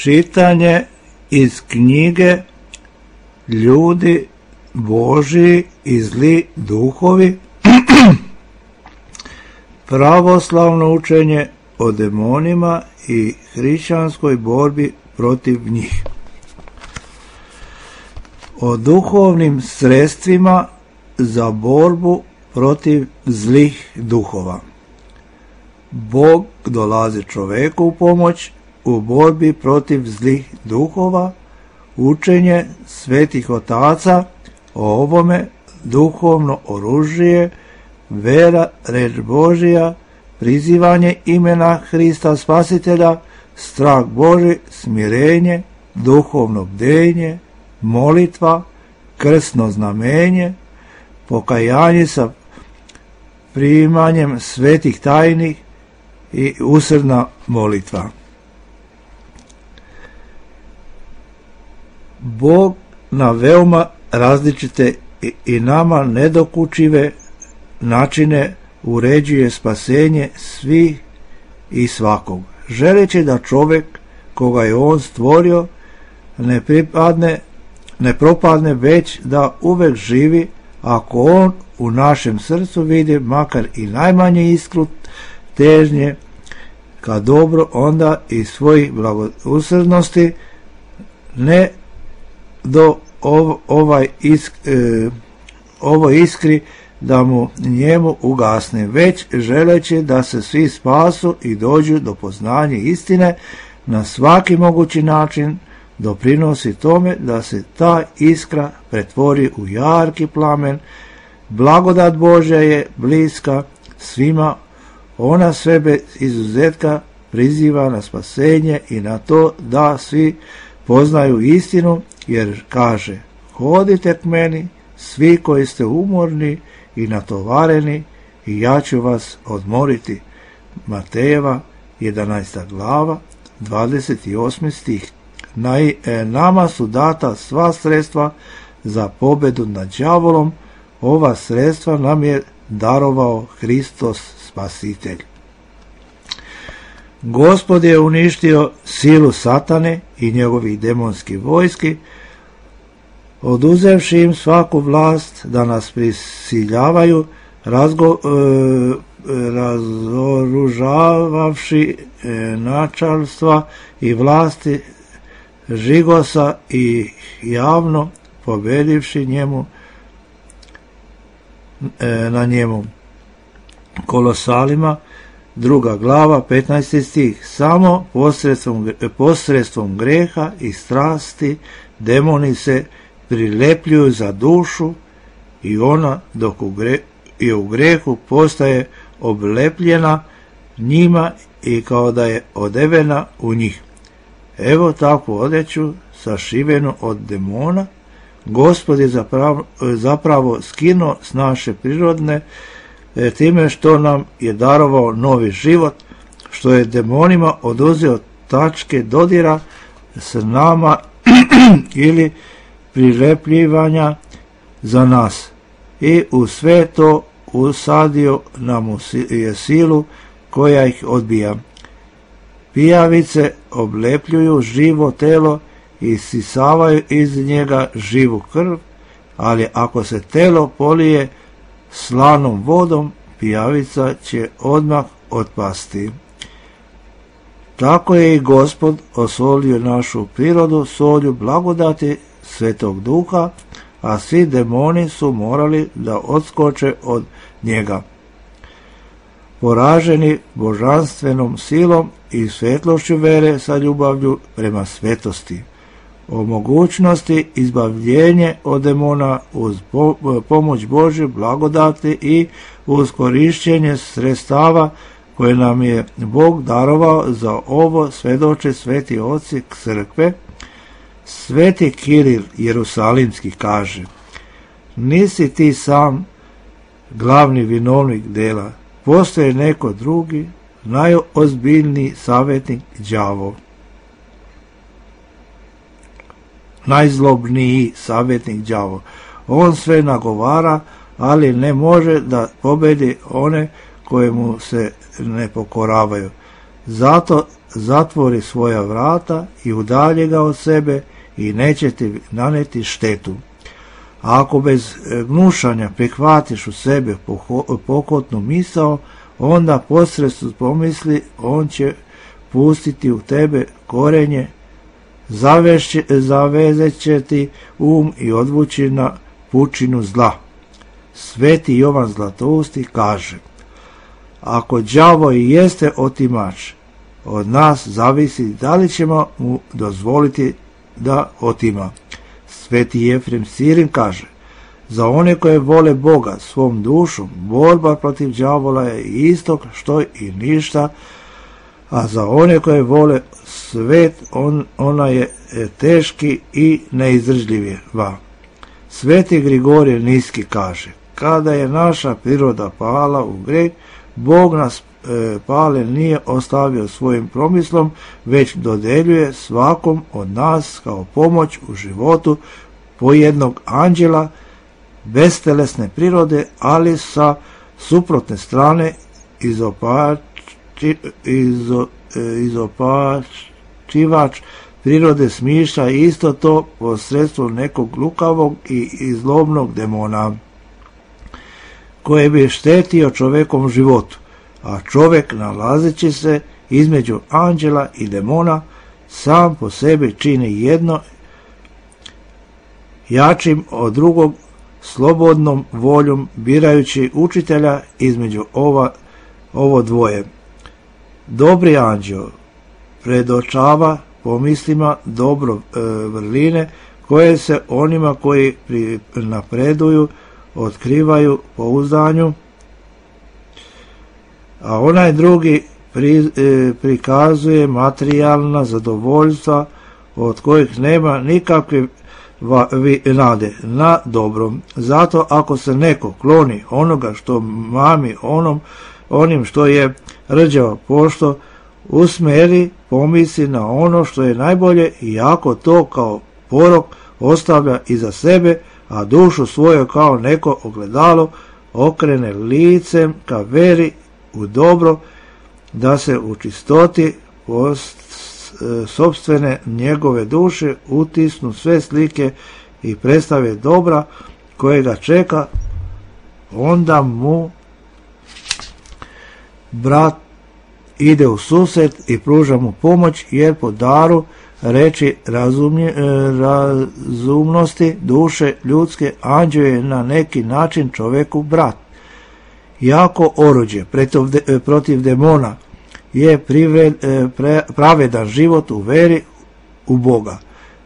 [SPEAKER 1] Čitanje iz knjige Ljudi Božji i zli duhovi, pravoslavno učenje o demonima i hrišćanskoj borbi protiv njih. O duhovnim sredstvima za borbu protiv zlih duhova. Bog dolazi čoveku u pomoć u borbi protiv zlih duhova, učenje svetih otaca o ovome, duhovno oružje, vera, reč Božija, prizivanje imena Hrista Spasitelja, strah Boži, smirenje, duhovno bdenje, molitva, krstno znamenje, pokajanje sa primanjem svetih tajnih i usrdna molitva. Bog na veoma različite i nama nedokučive načine uređuje spasenje svih i svakog, želeći da čovjek koga je on stvorio ne propadne, već da uvek živi, ako on u našem srcu vidi makar i najmanje iskru težnje ka dobro, onda i svojih blagosrdnosti ne do ovo iskri da mu njemu ugasne, već želeći da se svi spasu i dođu do poznanja istine, na svaki mogući način doprinosi tome da se ta iskra pretvori u jarki plamen. Blagodat Božja je bliska svima, ona sve bez izuzetka priziva na spasenje i na to da svi poznaju istinu, jer kaže: hodite k meni, svi koji ste umorni i natovareni, i ja ću vas odmoriti. Matejeva 11. glava 28. stih. Nama su data sva sredstva za pobedu nad đavolom, ova sredstva nam je darovao Hristos Spasitelj. Gospod je uništio silu satane i njegovih demonskih vojski, oduzevši im svaku vlast da nas prisiljavaju, razoružavavši načalstva i vlasti žigosa i javno pobedivši na njemu. Kolosalima 2. glava 15. stih. Samo posredstvom greha i strasti demoni se prilepljuju za dušu i ona dok je u grehu postaje oblepljena njima i kao da je odevena u njih. Evo takvu odeću sašivenu od demona Gospod je zapravo skinuo s naše prirodne time što nam je darovao novi život, što je demonima oduzeo tačke dodira s nama ili prilepljivanja za nas i u sve to usadio nam je silu koja ih odbija. Pijavice oblepljuju živo telo i sisavaju iz njega živu krv, ali ako se telo polije slanom vodom, pijavica će odmah otpasti. Tako je i Gospod osolio našu prirodu solju blagodati Svetog Duha, a svi demoni su morali da odskoče od njega. Poraženi božanstvenom silom i svetlošću vere sa ljubavlju prema svetosti, o mogućnosti izbavljenje od demona uz pomoć Božje blagodati i uz korišćenje sredstava koje nam je Bog darovao za ovo svedoče sveti oci crkve. Sveti Kiril Jerusalimski kaže: nisi ti sam glavni vinovnik dela. Postoje neko drugi, najozbiljniji savjetnik, đavo. Najzlobniji savjetnik, đavo. On sve nagovara, ali ne može da pobedi one koje mu se ne pokoravaju. Zato zatvori svoja vrata i udalji ga od sebe i neće ti naneti štetu. A ako bez gnušanja prihvatiš u sebe pokotnu misao, onda posredstvom pomisli on će pustiti u tebe korenje, zavezet će ti i odvući na pučinu zla. Sveti Jovan Zlatousti kaže: ako đavo i jeste otimač, od nas zavisi da li ćemo mu dozvoliti da otima. Sveti Jefrem Sirin kaže: za one koje vole Boga svom dušom, borba protiv đavola je isto što i ništa, a za one koje vole svet, ona je teški i neizdržljiva. Sveti Grigorije Niski kaže: kada je naša priroda pala u greh, Bog nas pale nije ostavio svojim promislom, već dodeljuje svakom od nas kao pomoć u životu po jednog anđela bestelesne prirode, ali sa suprotne strane izopačivač prirode smišlja isto to posredstvom nekog lukavog i zlobnog demona koje bi štetio čovekovom životu, a čovjek, nalazeći se između anđela i demona, sam po sebi čini jedno jačim od drugog, slobodnom voljom birajući učitelja između ovo dvoje. Dobri anđeo predočava pomislima dobro vrline koje se onima koji napreduju otkrivaju pouzdanju, a onaj drugi prikazuje materijalna zadovoljstva od kojih nema nikakve nade na dobrom. Zato ako se neko kloni onoga što mami onim što je rđava pošto, usmeri pomisli na ono što je najbolje i ako to kao porok ostavlja iza sebe, a dušu svoju kao neko ogledalo okrene licem ka veri u dobro, da se u čistoti sopstvene njegove duše utisnu sve slike i predstave dobra koje ga čeka, onda mu brat ide u susret i pruža mu pomoć, jer po daru reči razumnosti duše ljudske anđeo je na neki način čoveku brat. Jako oruđe protiv demona je pravedan život u veri u Boga.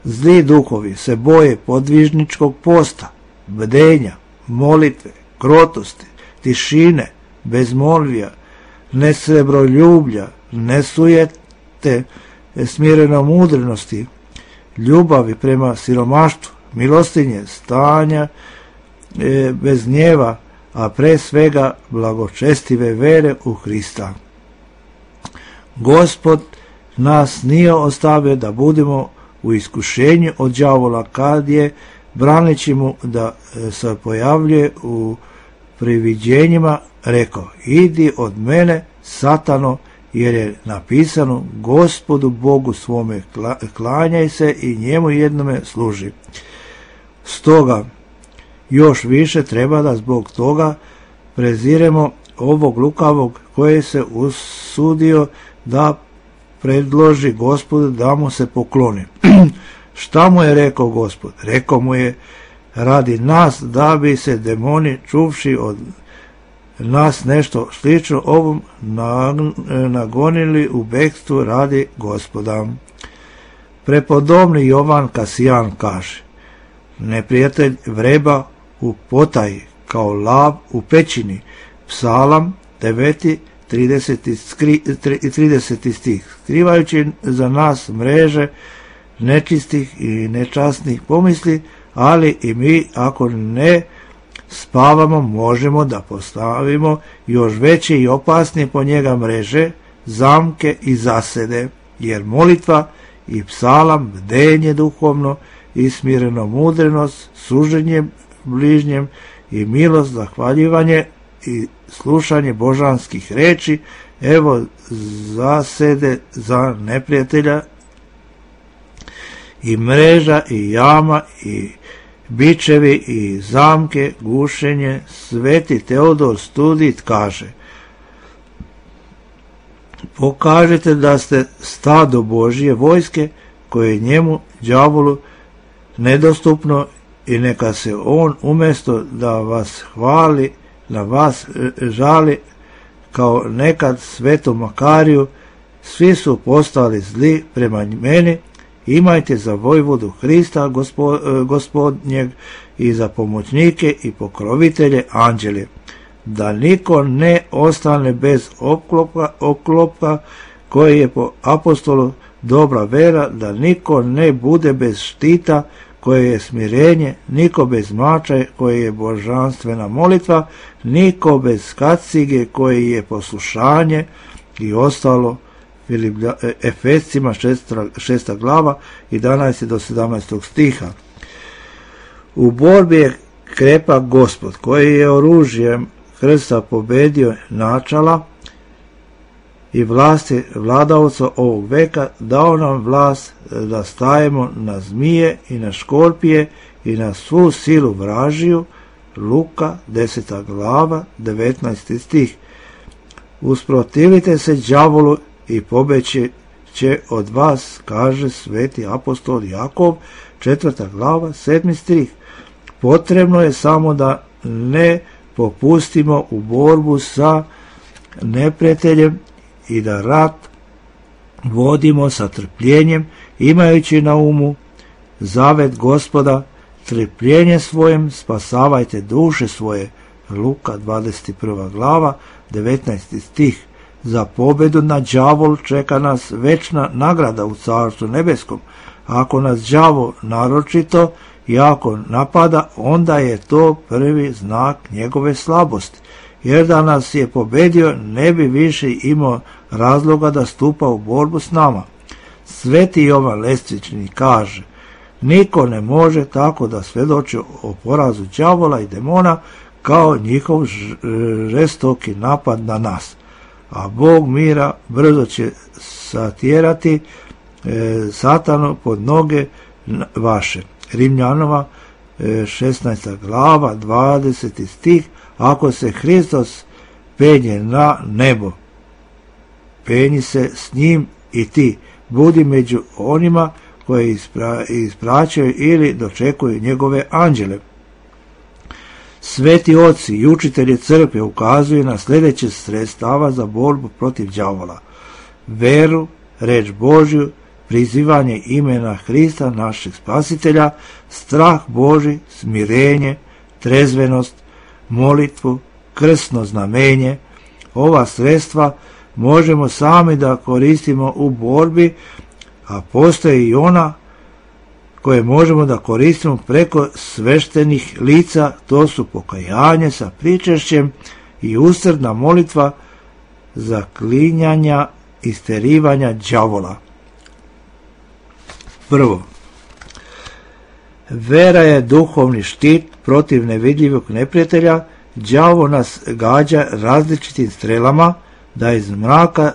[SPEAKER 1] Zli duhovi se boje podvižničkog posta, bdenja, molitve, krotosti, tišine, bezmolvija, nesrebroljublja, nesujete, smirenomudrenosti, ljubavi prema siromaštvu, milostinje, stanja bez gnjeva, a pre svega blagočestive vere u Hrista. Gospod nas nije ostavio da budemo u iskušenju od đavola, kad je, braneći mu da se pojavljuje u priviđenjima, rekao: idi od mene, Satano, jer je napisano: Gospodu Bogu svome klanjaj se i njemu jednome služi. Stoga još više treba da zbog toga preziremo ovog lukavog koji se usudio da predloži Gospodu da mu se pokloni. Šta mu je rekao Gospod? Rekao mu je: radi nas, da bi se demoni, čuvši od nas nešto slično ovom, nagonili u bekstvu radi Gospoda. Prepodobni Jovan Kasijan kaže: neprijatelj vreba u potaji, kao lav u pećini. Psalam 9. 30. stih. Skrivajući za nas mreže nečistih i nečasnih pomisli, ali i mi, ako ne spavamo, možemo da postavimo još veće i opasnije po njega mreže, zamke i zasede, jer molitva i psalam, bdenje duhovno i smireno mudrenost, služenje bližnjem i milost, zahvaljivanje i slušanje božanskih reči, evo zasede za neprijatelja i mreža i jama i bičevi i zamke, gušenje. Sveti Teodor Studit kaže: pokažete da ste stado Božje vojske koje je njemu, đavolu, nedostupno, i neka se on umjesto da vas hvali, na vas žali kao nekad svetom Makariju. Svi su postali zli prema meni. Imajte za vojvodu Hrista gospodnjeg i za pomoćnike i pokrovitelje anđele, da niko ne ostane bez oklopka koji je po apostolu dobra vera, da niko ne bude bez štita koje je smirenje, niko bez mača koje je božanstvena molitva, niko bez kacige koji je poslušanje i ostalo. Efescima 6. glava 11. do 17. stiha. U borbi je krepak Gospod, koji je oružjem krsta pobedio načala i vlasti vladavca ovog veka, dao nam vlast da stajemo na zmije i na škorpije i na svu silu vražiju. Luka 10. glava 19. stih. Usprotivite se đavolu i pobeći će od vas, kaže sveti apostol Jakov, 4. glava 7. stih. Potrebno je samo da ne popustimo u borbu sa neprijateljem i da rat vodimo sa trpljenjem, imajući na umu zavet Gospoda: trpljenje svojem spasavajte duše svoje. Luka 21. glava 19. stih. Za pobedu na đavol čeka nas večna nagrada u Carstvu nebeskom. Ako nas đavo naročito jako napada, onda je to prvi znak njegove slabosti, jer da nas je pobedio ne bi više imao razloga da stupa u borbu s nama. Sveti Jovan Lestvični kaže: niko ne može tako da svedoči o porazu đavola i demona kao njihov žestoki napad na nas. A Bog mira brzo će satjerati satanu pod noge vaše. Rimljanova 16. glava 20. stih. Ako se Hristos penje na nebo, penji se s njim i ti. Budi među onima koji ispraćaju ili dočekuju njegove anđele. Sveti oci i učitelji crkve ukazuju na sljedeće sredstava za borbu protiv đavola: veru, reč Božju, prizivanje imena Hrista, našeg spasitelja, strah Božji, smirenje, trezvenost, molitvu, krstno znamenje. Ova sredstva možemo sami da koristimo u borbi, a postoje i ona koje možemo da koristimo preko sveštenih lica, to su pokajanje sa pričešćem i usrdna molitva zaklinjanja i sterivanja đavola. Prvo, vera je duhovni štit protiv nevidljivog neprijatelja. Đavo nas gađa različitim strelama da iz mraka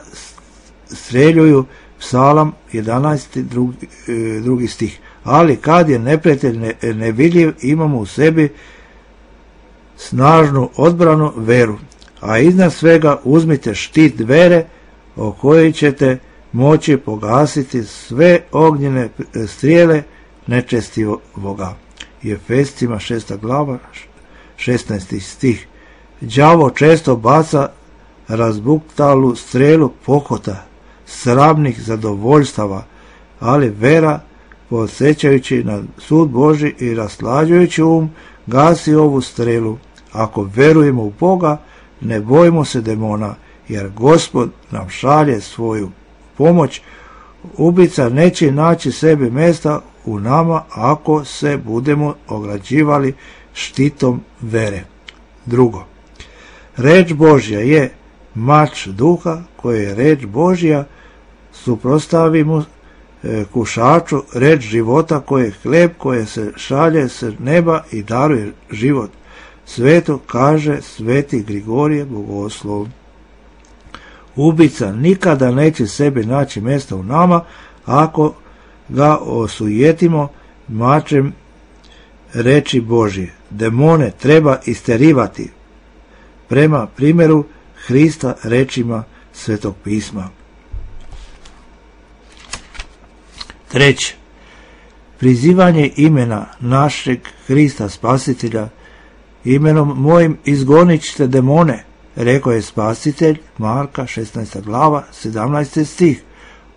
[SPEAKER 1] streljuju. Psalam 11. drugi stih. Ali kad je neprijatelj nevidljiv, imamo u sebi snažnu odbranu, veru. A iznad svega uzmite štit vere o kojoj ćete moći pogasiti sve ognjene strijele nečestivoga. I Efescima 6. glava 16. stih. Đavo često baca razbuktalu strelu pohota, sramnih zadovoljstava, ali vera, podsjećajući na sud Božji i raslađujući gasi ovu strelu. Ako verujemo u Boga, ne bojimo se demona, jer Gospod nam šalje svoju pomoć. Ubica neće naći sebi mjesta u nama ako se budemo ograđivali štitom vere. Drugo, reč Božja je mač duha, koje je reč Božja, suprotstavimo kušaču, reč života koje je hljeb koje se šalje s neba i daruje život. Sveto kaže sveti Grigorije Bogoslov. Ubica nikada neće sebi naći mjesta u nama ako ga osujetimo mačem reči Božje. Demone treba isterivati prema primjeru Hrista rečima Svetog pisma. Treće, prizivanje imena našeg Hrista Spasitelja. Imenom mojim izgonit ćete demone, rekao je Spasitelj, Marka 16. glava 17. stih.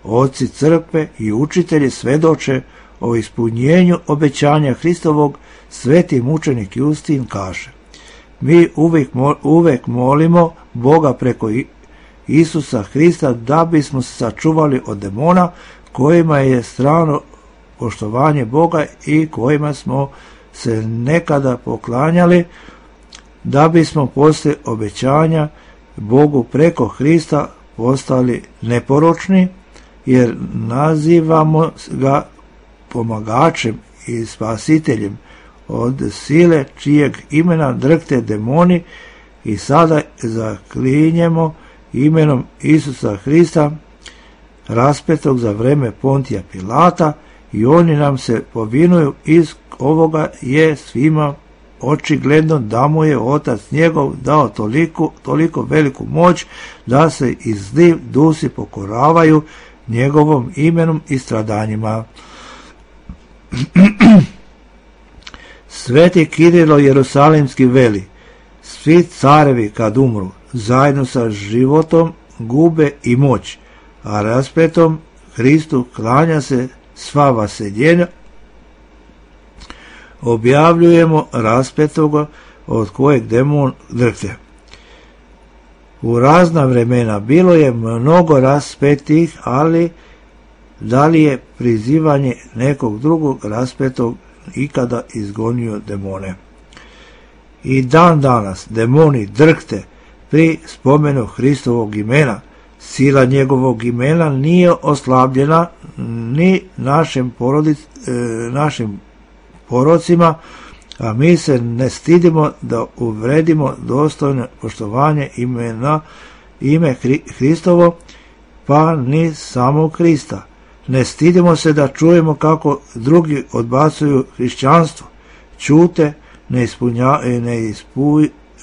[SPEAKER 1] Oci crkve i učitelji svedoče o ispunjenju obećanja Hristovog. Sveti mučenik Justin kaže: mi uvek molimo Boga preko Isusa Hrista da bismo se sačuvali od demona kojima je strano poštovanje Boga i kojima smo se nekada poklanjali, da bismo poslije obećanja Bogu preko Hrista postali neporočni, jer nazivamo ga pomagačem i spasiteljem od sile čijeg imena drhte demoni, i sada zaklinjemo imenom Isusa Hrista raspetog za vreme Pontija Pilata, i oni nam se povinuju. Iz ovoga je svima očigledno da mu je Otac njegov dao toliko veliku moć da se i zli dusi pokoravaju njegovom imenom i stradanjima. Sveti Kirilo Jerusalimski veli: svi carevi kad umru zajedno sa životom gube i moć, a raspetom Hristu klanja se sva vaseljenja. Objavljujemo raspetoga od kojeg demon drhte. U razna vremena bilo je mnogo raspetih, ali da li je prizivanje nekog drugog raspetog ikada izgonio demone? I dan danas demoni drhte pri spomenu Hristovog imena. Sila njegovog imena nije oslabljena ni našim porocima, a mi se ne stidimo da uvredimo dostojno poštovanje ime Hristovo, pa ni samog Hrista. Ne stidimo se da čujemo kako drugi odbacuju hrišćanstvo, ćute,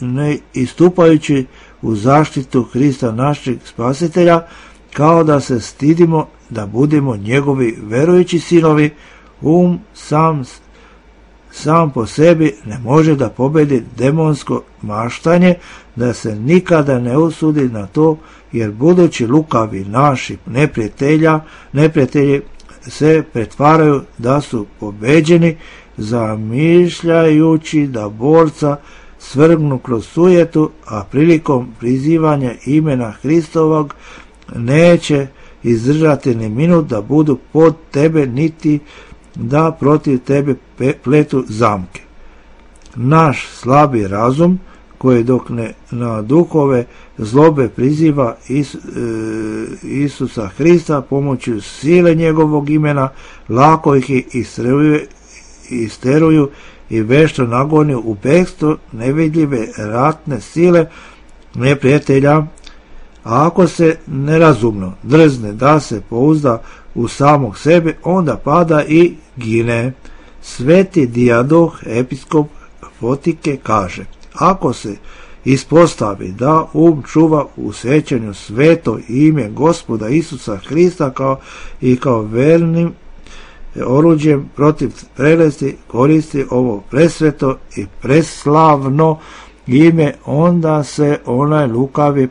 [SPEAKER 1] ne istupajući u zaštitu Hrista našeg Spasitelja, kao da se stidimo da budemo njegovi verujući sinovi. Sam po sebi ne može da pobedi demonsko maštanje, da se nikada ne usudi na to, jer budući lukavi naši neprijatelji se pretvaraju da su pobeđeni, zamišljajući da borca svrgnu kroz sujetu, a prilikom prizivanja imena Hristovog neće izdržati ni minut da budu pod tebe, niti da protiv tebe pletu zamke. Naš slabi razum, koji dok ne na duhove zlobe priziva Isusa Hrista pomoću sile njegovog imena, lako ih isteruju i vešto nagoni u bekstvo nevidljive ratne sile neprijatelja. A ako se nerazumno drzne da se pouzda u samog sebe, onda pada i gine. Sveti Dijadoh, episkop Fotike, kaže: ako se ispostavi da čuva u sjećanju sveto ime Gospoda Isusa Hrista kao vernim oruđem protiv prelesti, koristi ovo presveto i preslavno ime, onda se onaj lukavi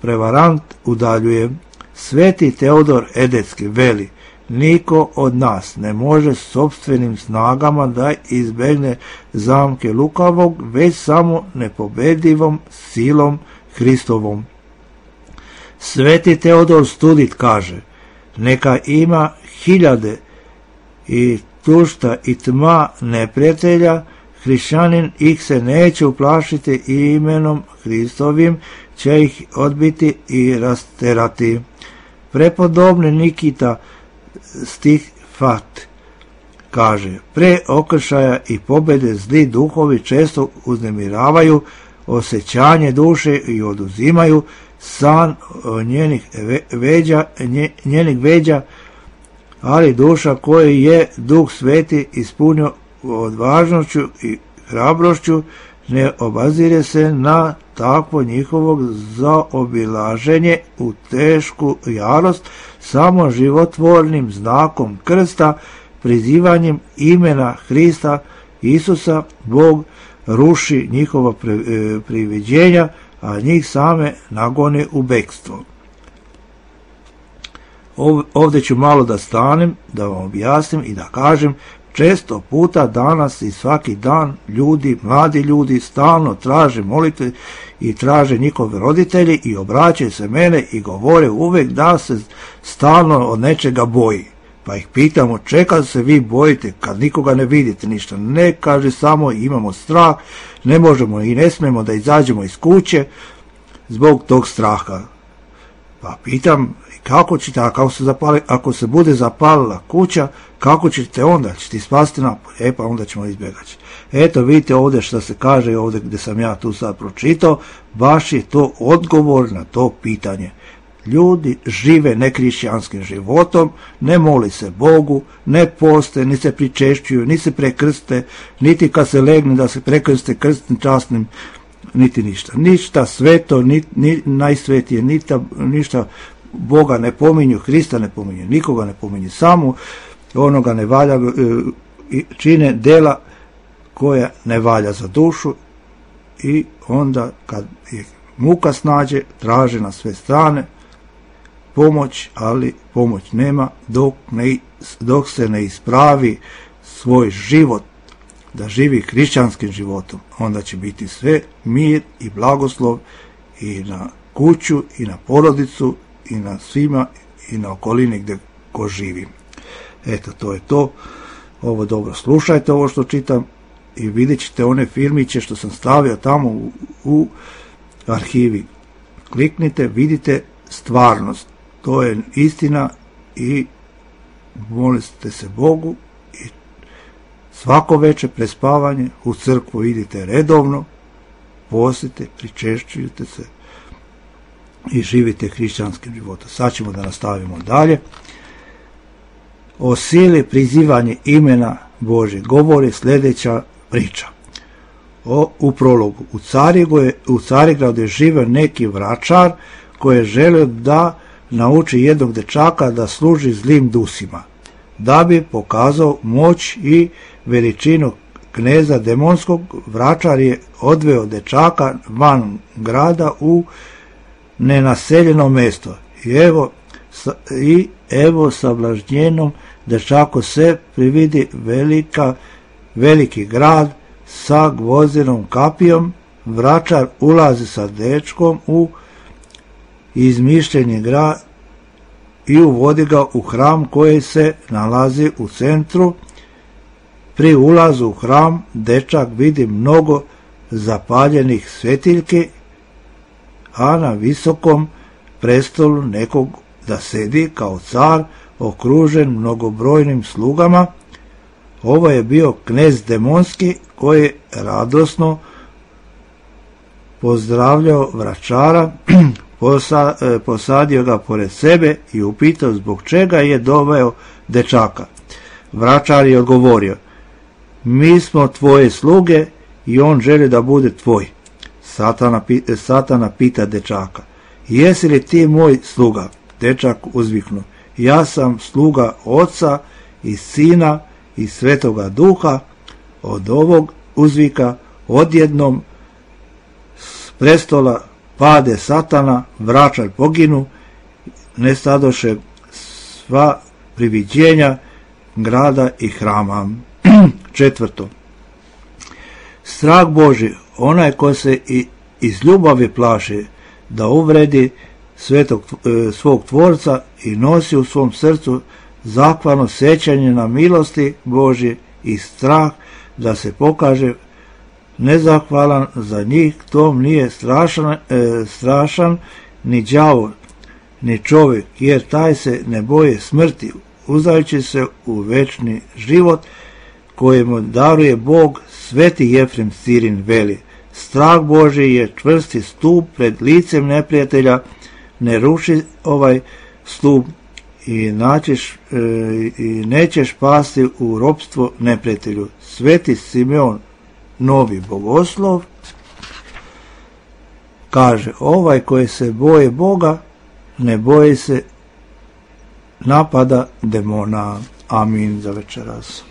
[SPEAKER 1] prevarant udaljuje. Sveti Teodor Edetski veli: niko od nas ne može sopstvenim snagama da izbegne zamke lukavog, već samo nepobedivom silom Hristovom. Sveti Teodor Studit kaže: neka ima 1000 tušta i tma neprijatelja, hrišćanin ih se neće uplašiti i imenom Hristovim će ih odbiti i rasterati. Prepodobni Nikita Stifat kaže: pre okršaja i pobjede zli duhovi često uznemiravaju osjećanje duše i oduzimaju san njenih veđa, ali duša koji je Duh Sveti ispunio odvažnošću i hrabrošću ne obazire se na takvo njihovog zaobilaženje u tešku jarost, samo životvornim znakom krsta, prizivanjem imena Hrista Isusa, Bog ruši njihova priviđenja, a njih same nagone u bekstvo. Ovdje ću malo da stanem, da vam objasnim i da kažem, često puta danas i svaki dan ljudi, mladi ljudi stalno traže molitve i traže njihovi roditelji i obraćaju se mene i govore uvek da se stalno od nečega boji. Pa ih pitamo, čega se vi bojite kad nikoga ne vidite ništa? Ne, kaže, samo imamo strah, ne možemo i ne smemo da izađemo iz kuće zbog tog straha. Pa pitam, kako ćete, ako se bude zapalila kuća, kako ćete onda? Ćete spasti napolje? Pa onda ćemo izbjegati. Eto, vidite ovdje što se kaže, ovdje gdje sam ja tu sad pročitao, baš je to odgovor na to pitanje. Ljudi žive nekrišćanskim životom, ne moli se Bogu, ne poste, ni se pričešćuju, ni se prekrste, niti kad se legne da se prekrste krstnim časnim, niti ništa. Ništa sveto, ni najsvetije, ništa Boga ne pominju, Hrista ne pominju, nikoga ne pominju, samo onoga ne valja, čine dela koja ne valja za dušu i onda kad je muka snađe, traže na sve strane pomoć, ali pomoć nema dok se ne ispravi svoj život, da živi hrišćanskim životom, onda će biti sve mir i blagoslov i na kuću i na porodicu i na svima i na okolini gdje ko živi. Eto, to je to. Ovo dobro slušajte, ovo što čitam, i vidjet ćete one filmiće što sam stavio tamo u arhivi. Kliknite, vidite stvarnost. To je istina i molite se Bogu i svako večer prespavanje u crkvu idite redovno, postite, pričešćujte se i živite hrišćanskim životom. Sad ćemo da nastavimo dalje. O sili prizivanje imena Božje govori sljedeća priča. U prologu. U Carigradu je živio neki vračar koji je želio da nauči jednog dečaka da služi zlim dusima, da bi pokazao moć i veličinu kneza demonskog. Vračar je odveo dečaka van grada u nenaseljeno mjesto i evo sablažnjenom dečaku se prividi veliki grad sa gvozdenom kapijom. Vračar ulazi sa dečkom u izmišljeni grad i uvodi ga u hram koji se nalazi u centru. Pri ulazu u hram dečak vidi mnogo zapaljenih svetiljki, a na visokom prestolu nekog da sedi kao car okružen mnogobrojnim slugama. Ovo je bio knez demonski koji je radosno pozdravljao vračara, posadio ga pored sebe i upitao zbog čega je doveo dečaka. Vračar je odgovorio: mi smo tvoje sluge i on želi da bude tvoj. Satana pita dečaka: jesi li ti moj sluga? Dečak uzviknu: ja sam sluga Oca i Sina i Svetoga Duha. Od ovog uzvika odjednom s prestola pade Satana, vračar poginu, nestadoše sva priviđenja grada i hrama. Četvrto. Strah Boži, onaj ko se iz ljubavi plaši da uvredi svog Tvorca i nosi u svom srcu zahvalno sjećanje na milosti Božje i strah da se pokaže nezahvalan za njih, tom nije strašan ni đavol, ni čovjek, jer taj se ne boje smrti, uzdajući se u večni život kojemu daruje Bog. Sveti Jefrem Sirin veli: strah Božji je čvrsti stup pred licem neprijatelja, ne ruši ovaj stup i nećeš pasti u ropstvo neprijatelju. Sveti Simeon Novi bogoslov kaže: ovaj koji se boje Boga ne boji se napada demona. Amin za večeras.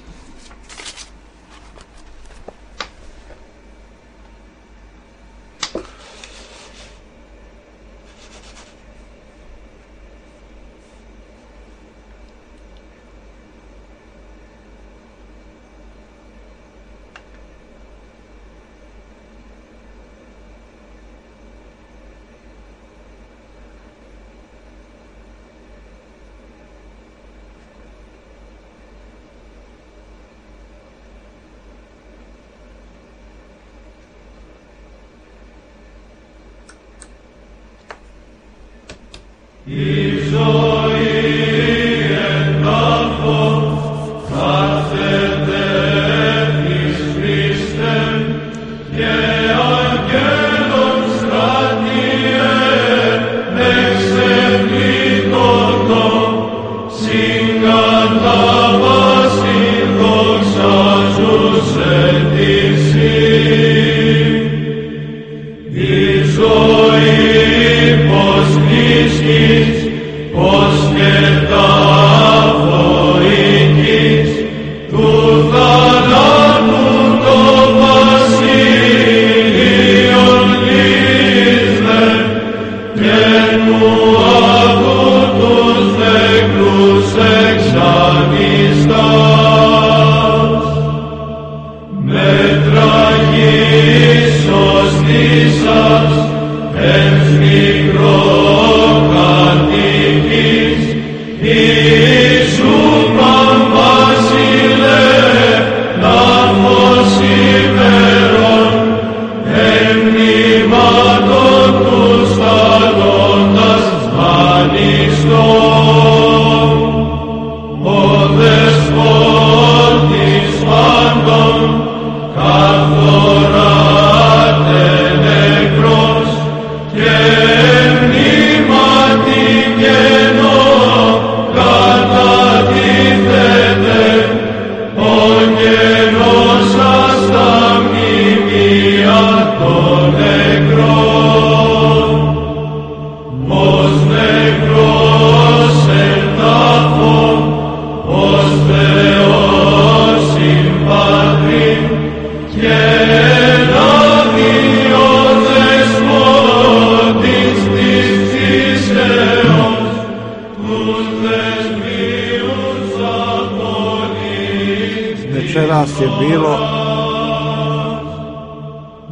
[SPEAKER 1] Večeras je bilo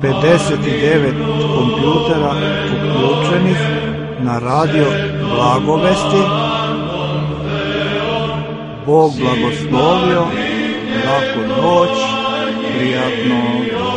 [SPEAKER 1] 59 kompjutera uključenih na radio Blagovesti. Bog blagoslovio, laku noć, prijatno.